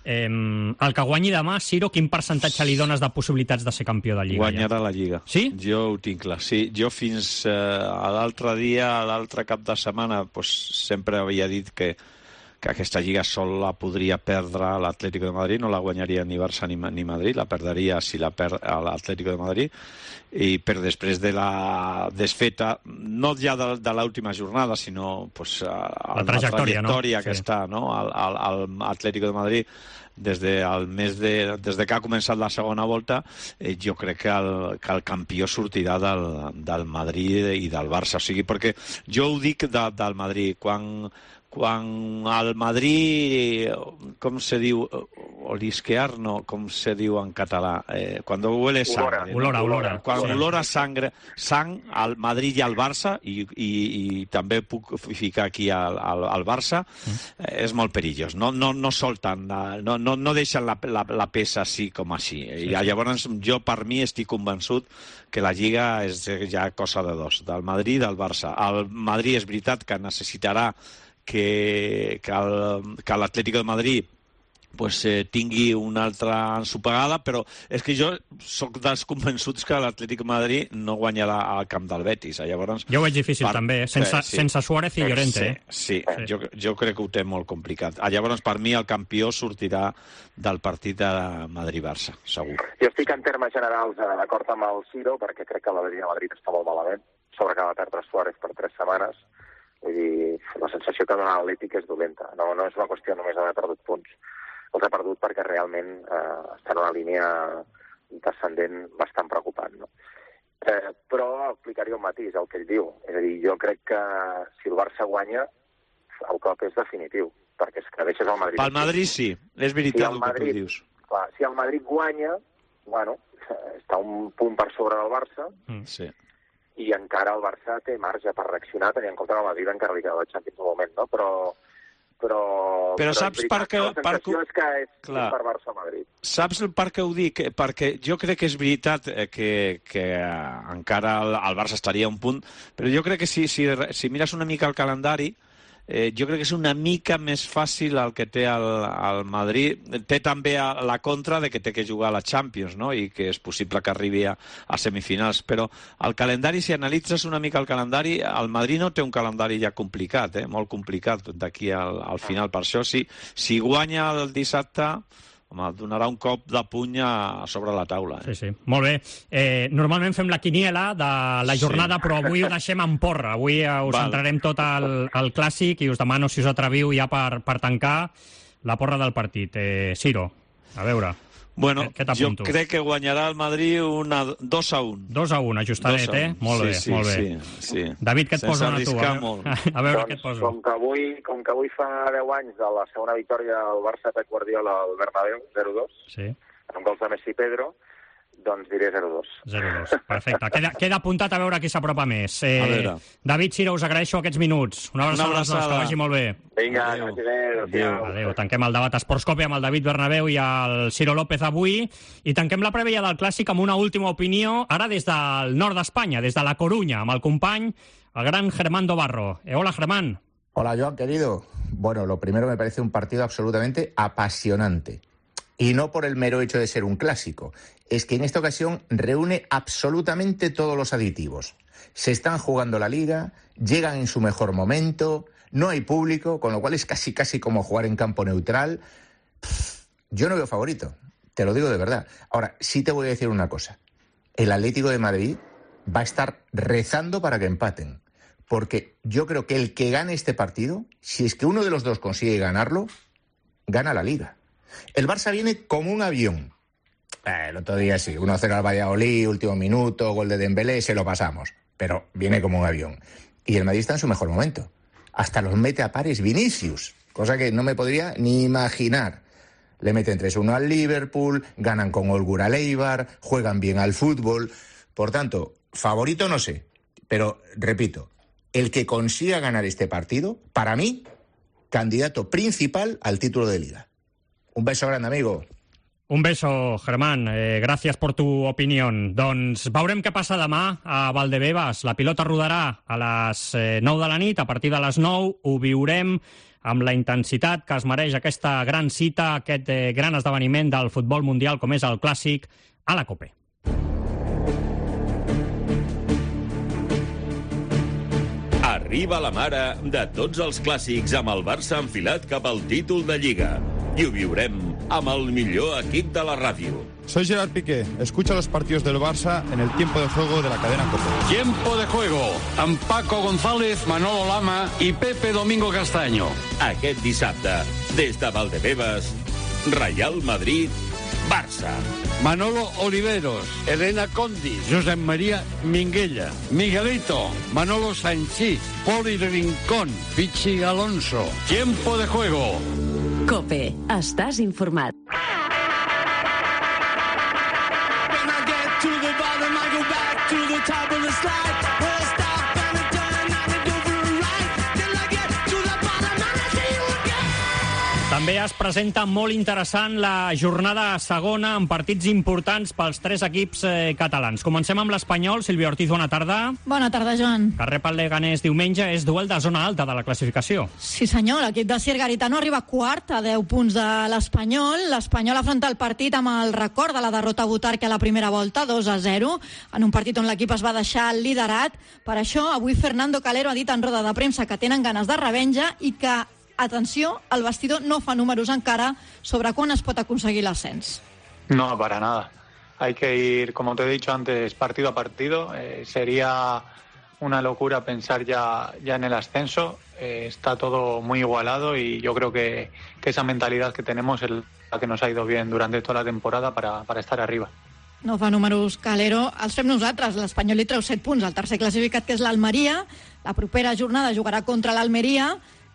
Eh, el que guanyi demà, Ciro, quin percentatge li dones de possibilitats de ser campió de Lliga? Guanyarà ja? la Lliga. Sí? Jo ho tinc clar. Sí, jo fins eh, a l'altre dia, a l'altre cap de setmana, pues, sempre havia dit que que aquesta Lliga sol la podria perdre l'Atlético de Madrid, no la guanyaria ni Barça ni, ni Madrid, la perdria si la perd l'Atlético de Madrid, i per després de la desfeta, no ja de, de l'última jornada, sinó pues, a, la trajectòria, la trajectòria no? que sí. està, no? al, al, al Atlético de Madrid des de, el mes de, des de que ha començat la segona volta, eh, jo crec que el, que el campió sortirà del, del Madrid i del Barça. O sigui, perquè jo ho dic de, del Madrid, quan quan el Madrid, com se diu, olisquear, no, com se diu en català, eh, quan huele sangre. Olora, no? olora. Quan Sí. olora sangre, sang al Madrid i al Barça, i, i, i també puc ficar aquí al, al, al Barça, eh, és molt perillós. No, no, no solten, no, no, no deixen la, la, la peça així com així. Sí, I llavors jo, per mi, estic convençut que la Lliga és ja cosa de dos, del Madrid i del Barça. El Madrid és veritat que necessitarà que, que, el, que l'Atlético de Madrid pues, eh, tingui una altra ensopegada, però és que jo sóc dels convençuts que l'Atlético de Madrid no guanyarà al camp del Betis. Llavors, jo ho veig difícil per... també, sense, sí, sí. sense Suárez i Llorente. Sí, sí. sí. Jo, jo crec que ho té molt complicat. Llavors, per mi, el campió sortirà del partit de Madrid-Barça, segur. Jo estic en termes generals d'acord amb el Ciro, perquè crec que l'Atlètic de Madrid està molt malament, sobre que va perdre Suárez per tres setmanes. Vull dir, la sensació que dona l'Atlètic és dolenta. No, no és una qüestió només d'haver perdut punts. Els ha perdut perquè realment eh, està en una línia descendent bastant preocupant. No? Eh, però aplicaria un matís al que ell diu. És a dir, jo crec que si el Barça guanya, el cop és definitiu, perquè és que deixes el Madrid... Pel Madrid sí, és veritat si el, el Madrid, que tu dius. Clar, si el Madrid guanya, bueno, està un punt per sobre del Barça, mm, sí. i encara el Barça té marge per reaccionar, tenint en compte que el Madrid encara li queda la Champions un moment, no? Però... Però, però, però saps per què... La sensació és que és, clar, és per Barça-Madrid. Saps per què ho dic? Perquè jo crec que és veritat que, que encara el, el Barça estaria a un punt, però jo crec que si, si, si mires una mica el calendari, eh, jo crec que és una mica més fàcil el que té el, el Madrid. Té també a, la contra de que té que jugar a la Champions, no? I que és possible que arribi a, a semifinals. Però el calendari, si analitzes una mica el calendari, el Madrid no té un calendari ja complicat, eh? Molt complicat d'aquí al, al final. Per això, si, si guanya el dissabte, home, donarà un cop de puny a sobre la taula. Eh? Sí, sí. Molt bé. Eh, normalment fem la quiniela de la jornada, sí. Però avui ho deixem en porra. Avui eh, us Val. centrarem tot al, al clàssic i us demano si us atreviu ja per, per tancar la porra del partit. Eh, Ciro, a veure... Bueno, jo crec que guanyarà el Madrid una dos a un. dos a un, ajustadet, eh? Molt bé, sí, sí, molt bé. Sí, sí. David, què et posa a tu? A veure, a veure doncs, què et posa. Com que, avui, com que avui fa deu anys de la segona victòria del Barça Pep Guardiola al Bernabéu, zero dos, sí. amb gols de Messi i Pedro, doncs diré zero dos. zero dos, perfecte. Queda, queda apuntat a veure qui s'apropa més. Eh, David, Ciro, us agraeixo aquests minuts. Una abraçada, Una abraçada. Que vagi molt bé. Vinga, adéu. Adéu. Adéu. Adéu. Tanquem el debat Esportscope amb el David Bernabéu i el Ciro López avui i tanquem la prèvia del Clàssic amb una última opinió, ara des del nord d'Espanya, des de la Corunya, amb el company, el gran Germán Dobarro. Eh, hola, Germán. Hola, Joan, querido. Bueno, lo primero me parece un partido absolutamente apasionante. Y no por el mero hecho de ser un clásico. Es que en esta ocasión reúne absolutamente todos los aditivos. Se están jugando la Liga, llegan en su mejor momento, no hay público, con lo cual es casi casi como jugar en campo neutral. Pff, yo no veo favorito, te lo digo de verdad. Ahora, sí te voy a decir una cosa. El Atlético de Madrid va a estar rezando para que empaten. Porque yo creo que el que gane este partido, si es que uno de los dos consigue ganarlo, gana la Liga. El Barça viene como un avión. Eh, el otro día sí, uno a cero al Valladolid, último minuto, gol de Dembélé, se lo pasamos. Pero viene como un avión. Y el Madrid está en su mejor momento. Hasta los mete a pares Vinicius, cosa que no me podría ni imaginar. Le meten tres uno al Liverpool, ganan con holgura al Eibar, juegan bien al fútbol. Por tanto, favorito no sé. Pero, repito, el que consiga ganar este partido, para mí, candidato principal al título de Liga. Un beso grande, amigo. Un beso, Germán. Eh, gràcies per tu opinió. Doncs veurem què passa demà a Valdebebas. La pilota rodarà a les eh, nou de la nit. A partir de les nou ho viurem amb la intensitat que es mereix aquesta gran cita, aquest eh, gran esdeveniment del futbol mundial com és el Clàssic a la COPE. Arriba la mare de tots els clàssics amb el Barça enfilat cap al títol de Lliga. Y ho viurem amb el millor equip de la ràdio. Soy Gerard Piqué. Escucha los partidos del Barça en el tiempo de juego de la cadena COPE. Tiempo de juego amb Paco González, Manolo Lama i Pepe Domingo Castaño. Aquest dissabte, des de Valdebebas, Real Madrid, Barça. Manolo Oliveros, Elena Condi, Josep María Minguella, Miguelito, Manolo Sanchís, Poli Rincón, Pichi Alonso. Tiempo de juego. COPE. Estàs informat. També es presenta molt interessant la jornada segona amb partits importants pels tres equips eh, catalans. Comencem amb l'Espanyol. Sílvia Ortiz, bona tarda. Bona tarda, Joan. Que rep el Leganés diumenge, és duel de zona alta de la classificació. Sí, senyor. L'equip de Sir Garitano arriba quart a deu punts de l'Espanyol. L'Espanyol afronta el partit amb el record de la derrota a Butarque a la primera volta, dos a zero, en un partit on l'equip es va deixar liderat. Per això, avui Fernando Calero ha dit en roda de premsa que tenen ganes de revenja i que, atenció, el vestidor no fa números encara sobre quan es pot aconseguir l'ascens. No, para nada. Hay que ir, como te he dicho antes, partido a partido. Eh, sería una locura pensar ya, ya en el ascenso. Eh, está todo muy igualado y yo creo que, que esa mentalidad que tenemos es la que nos ha ido bien durante toda la temporada para, para estar arriba. No fa números Calero, els fem nosaltres. L'Espanyol li treu set punts al tercer classificat, que és l'Almeria. La propera jornada jugarà contra l'Almeria.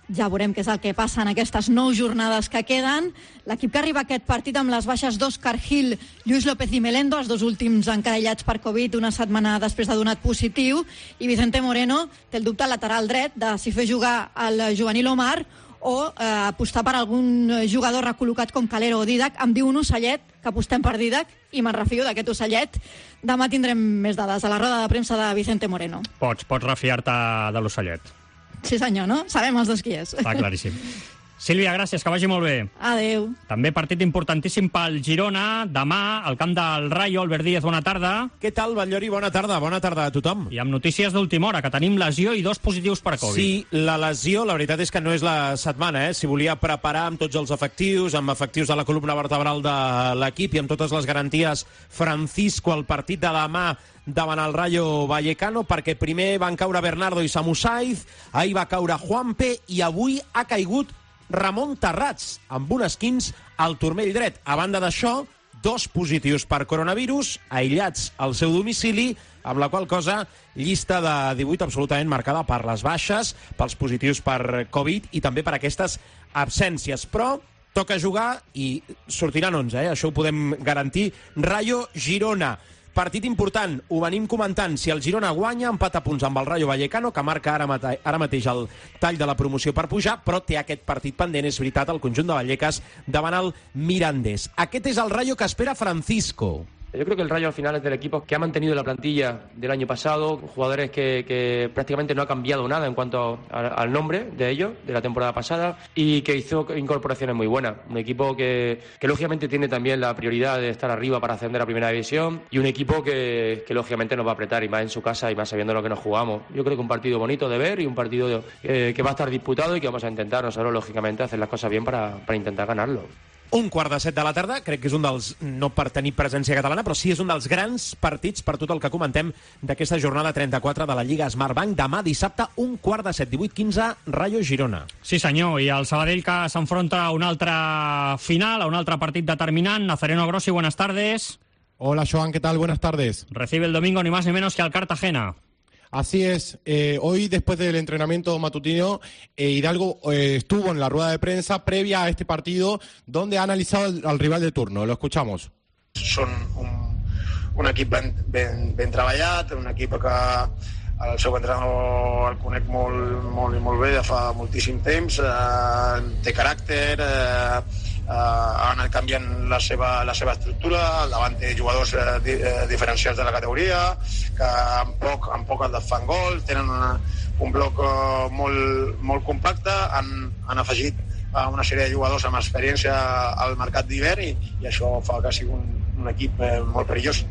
Ja veurem què és el que passa en aquestes nou jornades que queden. L'equip que arriba a aquest partit amb les baixes d'Òscar Gil, Lluís López i Melendo, els dos últims encarellats per Covid una setmana després de donat positiu, i Vicente Moreno té el dubte lateral dret de si fer jugar el juvenil Omar o eh, apostar per algun jugador recol·locat com Calero o Didac. Em diu un ocellet que apostem per Didac i me'n refio d'aquest ocellet. Demà tindrem més dades a la roda de premsa de Vicente Moreno. Pots, pots refiar-te de l'ocellet. Sí senyor, no? Sabem els dos qui és. Està claríssim. Sílvia, gràcies, que vagi molt bé. Adéu. També partit importantíssim pel Girona, demà, al camp del Rayo. Albert Díaz, bona tarda. Què tal, Batllori? Bona tarda, bona tarda a tothom. I amb notícies d'última hora, que tenim lesió i dos positius per Covid. Sí, la lesió, la veritat és que no és la setmana, eh? Si volia preparar amb tots els efectius, amb efectius de la columna vertebral de l'equip i amb totes les garanties Francisco al partit de demà davant el Rayo Vallecano, perquè primer van caure Bernardo i Samu Saiz, ahir va caure Juanpe i avui ha caigut Ramon Terrats, amb un esquins al turmell dret. A banda d'això, dos positius per coronavirus, aïllats al seu domicili, amb la qual cosa, llista de divuit absolutament marcada per les baixes, pels positius per Covid i també per aquestes absències. Però toca jugar i sortiran onze, eh? Això ho podem garantir. Rayo Girona. Partit important, ho venim comentant. Si el Girona guanya, empat a punts amb el Rayo Vallecano, que marca ara, mate ara mateix el tall de la promoció per pujar, però té aquest partit pendent, és veritat, el conjunt de Vallecas davant el Mirandés. Aquest és el Rayo que espera Francisco. Yo creo que el Rayo al final es del equipo que ha mantenido la plantilla del año pasado, jugadores que, que prácticamente no ha cambiado nada en cuanto a, al nombre de ellos, de la temporada pasada, y que hizo incorporaciones muy buenas. Un equipo que, que lógicamente tiene también la prioridad de estar arriba para ascender a Primera División, y un equipo que, que lógicamente nos va a apretar, y más en su casa, y más sabiendo lo que nos jugamos. Yo creo que un partido bonito de ver y un partido eh, que va a estar disputado y que vamos a intentar nosotros, lógicamente, hacer las cosas bien para, para intentar ganarlo. Un quart de set de la tarda, crec que és un dels, no per tenir presència catalana, però sí és un dels grans partits per tot el que comentem d'aquesta jornada trenta-quatre de la Lliga Smartbank. Demà dissabte, un quart de set, divuit quinze, Rayo Girona. Sí senyor, i el Sabadell que s'enfronta a un altre final, a un altre partit determinant. Nazareno Grossi, buenas tardes. Hola Joan, ¿qué tal? Buenas tardes. Recibe el domingo ni más ni menos que al Cartagena. Así es, eh, hoy después del entrenamiento matutino, eh, Hidalgo eh, estuvo en la rueda de prensa previa a este partido donde ha analizado el, al rival de turno. Lo escuchamos. Són un, un equip ben, ben, ben treballat, un equip que el seu entrenador el conec molt, molt i molt bé de fa moltíssim temps, eh, té caràcter, eh, Uh, ha anat canviant la seva, la seva estructura, al davant té jugadors uh, di, uh, diferencials de la categoria, que amb poc, amb poc et fan gol, tenen una, un bloc uh, molt, molt compacte, han, han afegit uh, una sèrie de jugadors amb experiència al mercat d'hivern i, i això fa que sigui un, un equip uh, molt perillós.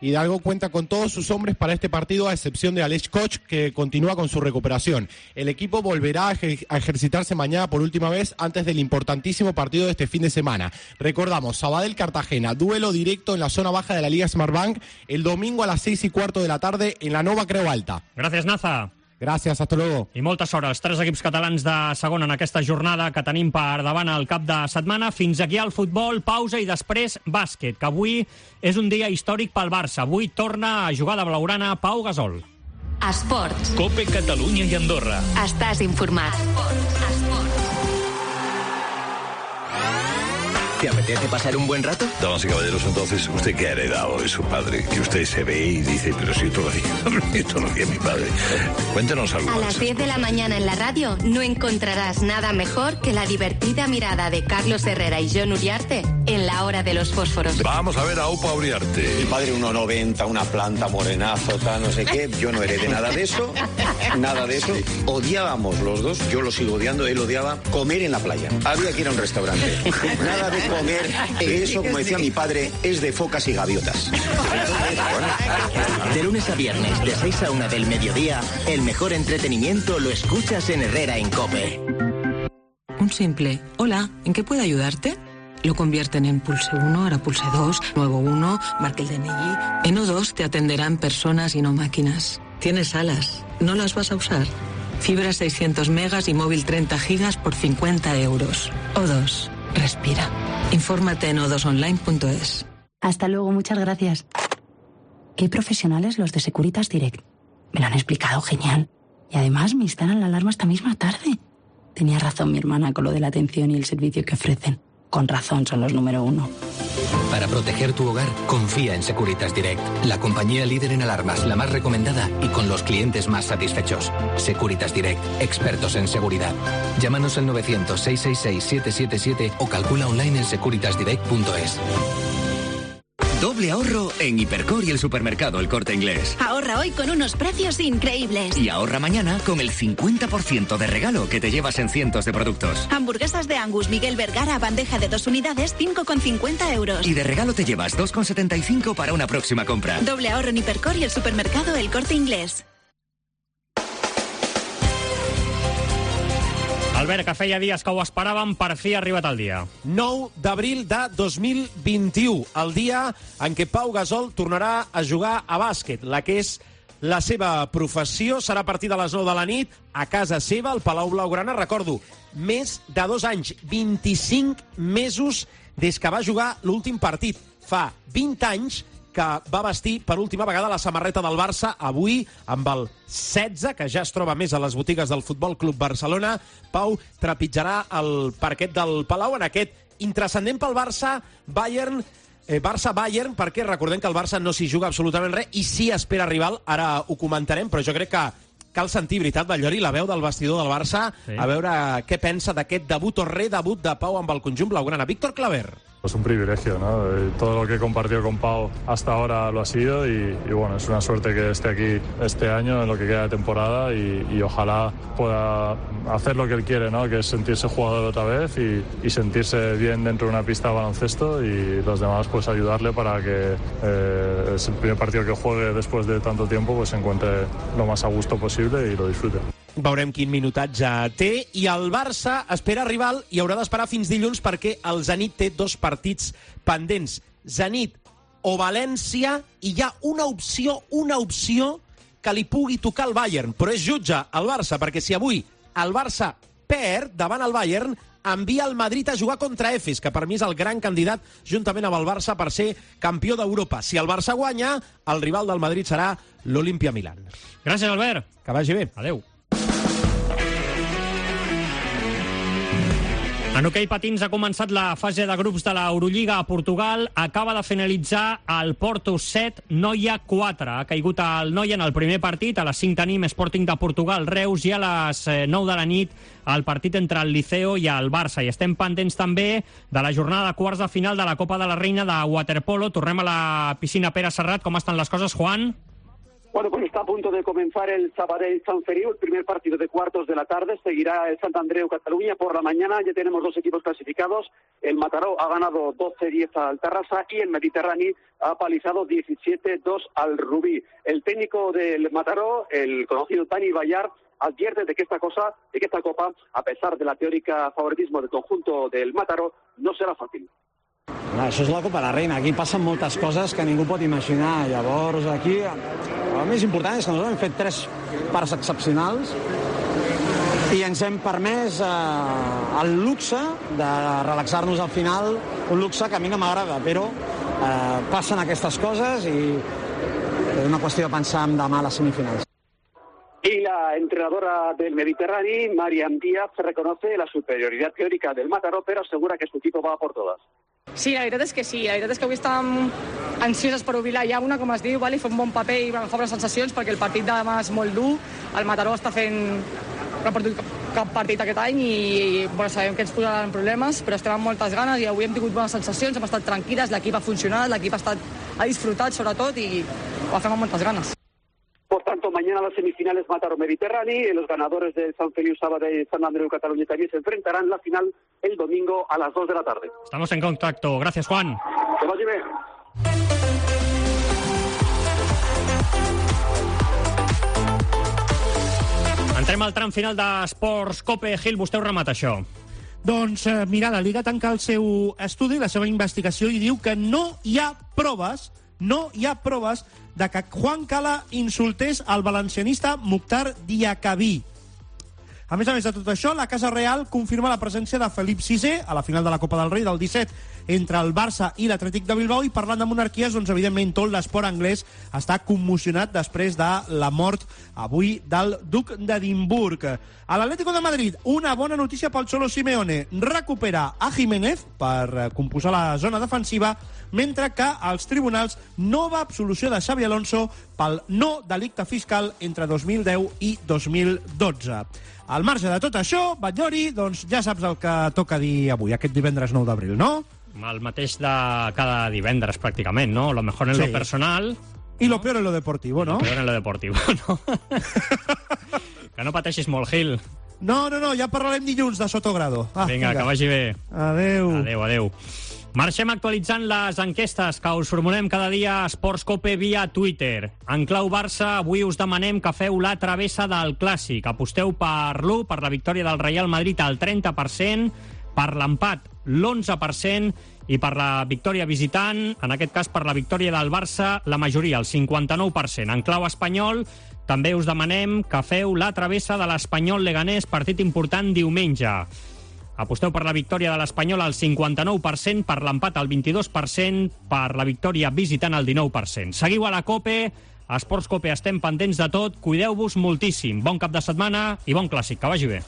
Hidalgo cuenta con todos sus hombres para este partido, a excepción de Aleix Koch, que continúa con su recuperación. El equipo volverá a, ejer a ejercitarse mañana por última vez antes del importantísimo partido de este fin de semana. Recordamos, Sabadell-Cartagena, duelo directo en la zona baja de la Liga Smartbank, el domingo a las seis y cuarto de la tarde en la Nova Creu Alta. Gracias, Naza. Gràcies, hasta luego. I moltes hores, tres equips catalans de segona en aquesta jornada que tenim per davant al cap de setmana. Fins aquí al futbol, pausa i després bàsquet, que avui és un dia històric pel Barça. Avui torna a jugar de blaugrana Pau Gasol. Esports. Cope Catalunya i Andorra. Estàs informat. Esports. Esports. ¿Te apetece pasar un buen rato? Damas y caballeros, entonces, ¿usted qué ha heredado de su padre? Que usted se ve y dice, pero si esto lo hacía, esto lo hacía mi padre. Cuéntanos algo. A las diez de la mañana en la radio no encontrarás nada mejor que la divertida mirada de Carlos Herrera y Jon Uriarte en La Hora de los Fósforos. Vamos a ver a Upa Uriarte. Mi padre uno noventa, una planta, morenazo, tal, no sé qué. Yo no heredé nada de eso, nada de eso. Odiábamos los dos, yo lo sigo odiando, él odiaba comer en la playa. Había que ir a un restaurante. Nada de comer, eso, como decía mi padre, es de focas y gaviotas. De lunes a viernes, de seis a una del mediodía, el mejor entretenimiento lo escuchas en Herrera en COPE. Un simple hola, ¿en qué puedo ayudarte? Lo convierten en pulse uno, ahora pulse dos, nuevo uno, marque el D N I. En O dos te atenderán personas y no máquinas. Tienes alas, ¿no las vas a usar? Fibra seiscientos megas y móvil treinta gigas por cincuenta euros. O dos, respira. Infórmate en o dos online punto es. Hasta luego, muchas gracias. Qué profesionales los de Securitas Direct. Me lo han explicado genial. Y además me instalan la alarma esta misma tarde. Tenía razón mi hermana con lo de la atención y el servicio que ofrecen. Con razón son los número uno. Para proteger tu hogar, confía en Securitas Direct, la compañía líder en alarmas, la más recomendada y con los clientes más satisfechos. Securitas Direct, expertos en seguridad. Llámanos al novecientos, seiscientos sesenta y seis, siete siete siete o calcula online en securitas direct punto es. Doble ahorro en Hipercor y el supermercado El Corte Inglés. Ahorra hoy con unos precios increíbles. Y ahorra mañana con el cincuenta por ciento de regalo que te llevas en cientos de productos. Hamburguesas de Angus Miguel Vergara, bandeja de dos unidades, cinco con cincuenta euros. Y de regalo te llevas dos con setenta y cinco para una próxima compra. Doble ahorro en Hipercor y el supermercado El Corte Inglés. Albert, que feia dies que ho esperàvem, per fi ha arribat el dia. nou d'abril de dos mil vint-i-u, el dia en què Pau Gasol tornarà a jugar a bàsquet. La que és la seva professió serà a partir de les nou de la nit, a casa seva, al Palau Blaugrana. Recordo, més de dos anys, vint-i-cinc mesos des que va jugar l'últim partit. Fa vint anys que va vestir per última vegada la samarreta del Barça, avui amb el setze, que ja es troba més a les botigues del Futbol Club Barcelona. Pau trepitjarà el parquet del Palau en aquest intrascendent pel Barça, Bayern, eh, Barça-Bayern, perquè recordem que el Barça no s'hi juga absolutament res i sí espera rival, ara ho comentarem, però jo crec que cal sentir, veritat, Batllori, la veu del vestidor del Barça, sí. A veure què pensa d'aquest debut o redebut de Pau amb el conjunt blaugrana. Víctor Claver. Es un privilegio, ¿no? Todo lo que he compartido con Pau hasta ahora lo ha sido y, y bueno, es una suerte que esté aquí este año en lo que queda de temporada y, y ojalá pueda hacer lo que él quiere, ¿no? Que es sentirse jugador otra vez y, y sentirse bien dentro de una pista de baloncesto y los demás pues ayudarle para que eh, es el primer partido que juegue después de tanto tiempo pues se encuentre lo más a gusto posible i lo disfrute. Veurem quin minutatge té i el Barça espera rival i haurà d'esperar fins dilluns perquè el Zenit té dos partits pendents. Zenit o València i hi ha una opció, una opció que li pugui tocar al Bayern, però és jutge el Barça perquè si avui el Barça perd davant el Bayern envia el Madrid a jugar contra Efes, que per mi és el gran candidat juntament amb el Barça per ser campió d'Europa. Si el Barça guanya, el rival del Madrid serà l'Olimpia Milán. Gràcies, Albert. Que vagi bé. Adéu. En hoquei patins ha començat la fase de grups de l'Eurolliga a Portugal. Acaba de finalitzar el Porto set, Noia quatre. Ha caigut el Noia en el primer partit. A les cinc tenim Sporting de Portugal, Reus, i a les nou de la nit el partit entre el Liceo i el Barça. I estem pendents també de la jornada de quarts de final de la Copa de la Reina de waterpolo. Tornem a la piscina Pere Serrat. Com estan les coses, Juan? Bueno, pues está a punto de comenzar el Sabadell San Feliu, el primer partido de cuartos de la tarde. Seguirá el Sant Andreu Cataluña por la mañana. Ya tenemos dos equipos clasificados. El Mataró ha ganado doce diez al Tarrasa y el Mediterráneo ha palizado diecisiete dos al Rubí. El técnico del Mataró, el conocido Dani Bayar, advierte de que esta cosa, de que esta copa, a pesar de la teórica favoritismo del conjunto del Mataró, no serà fàcil. Això és la Copa de la Reina, aquí passen moltes coses que ningú pot imaginar. Llavors, aquí, el més important és que nosaltres hem fet tres parts excepcionals i ens hem permès eh, el luxe de relaxar-nos al final, un luxe que a mi no m'agrada, però eh, passen aquestes coses i és una qüestió de pensar en demà a les semifinals. Y la entrenadora del Mediterráneo, Mariam Díaz, reconoce la superioridad teórica del Mataró, pero asegura que su equipo va por todas. Sí, la veritat és que sí. La veritat és que avui estàvem ansioses per obrir la llauna, com es diu, i fer un bon paper i agafar bones sensacions, perquè el partit de demà és molt dur. El Mataró està fent... no ha perdut cap partit aquest any i bueno, sabem que ens posaran problemes, però estem amb moltes ganes i avui hem tingut bones sensacions, hem estat tranquil·les, l'equip ha funcionat, l'equip ha, estat, ha disfrutat sobretot i ho fem amb moltes ganes. Por tanto, mañana las semifinales Mataró-Mediterráneo y los ganadores de San Feliu, Sabadell y San Andreu Cataluña también se enfrentarán en la final el domingo a las dos de la tarde. Estamos en contacto. Gracias, Juan. Que vagi bé. Entrem al tram final d'Esports Cope. Gil, vostè ho remata, això. Doncs, eh, mira, la Liga tanca el seu estudi, la seva investigació, i diu que no hi ha proves, no hi ha proves de que Juan Cala insultés el valencianista Mukhtar Diakabí. A més a més de tot això, la Casa Real confirma la presència de Felip sisè a la final de la Copa del Rei del disset entre el Barça i l'Atlètic de Bilbao, i parlant de monarquies, doncs evidentment tot l'esport anglès està commocionat després de la mort avui del duc d'Edimburg. A l'Atlético de Madrid, una bona notícia pel Cholo Simeone. Recupera a Jiménez per composar la zona defensiva, mentre que als tribunals nova absolució de Xabi Alonso pel no delicte fiscal entre dos mil deu i dos mil dotze. Al marge de tot això, Batllori, doncs ja saps el que toca dir avui, aquest divendres nou d'abril, no? El mateix de cada divendres, pràcticament, ¿no? Lo mejor en Sí. lo personal... I lo peor en lo deportivo, no? Lo peor en lo deportivo, no? Que no pateixis molt, Gil. No, no, no, ja parlarem dilluns de Sotogrado. Ah, Vinga, que vagi bé. Adéu. Adéu, adéu. Marxem actualitzant les enquestes que us formulem cada dia a Esports Cope via Twitter. En clau Barça, avui us demanem que feu la travessa del Clàssic. Aposteu per l'u, per la victòria del Real Madrid al trenta per cent, per l'empat l'onze per cent i per la victòria visitant, en aquest cas per la victòria del Barça, la majoria, el cinquanta-nou per cent. En clau espanyol, també us demanem que feu la travessa de l'Espanyol Leganés, partit important diumenge. Aposteu per la victòria de l'Espanyol al cinquanta-nou per cent, per l'empat al vint-i-dos per cent, per la victòria visitant al dinou per cent. Seguiu a la Cope, a Esports Cope estem pendents de tot, cuideu-vos moltíssim. Bon cap de setmana i bon Clàssic, que vagi bé.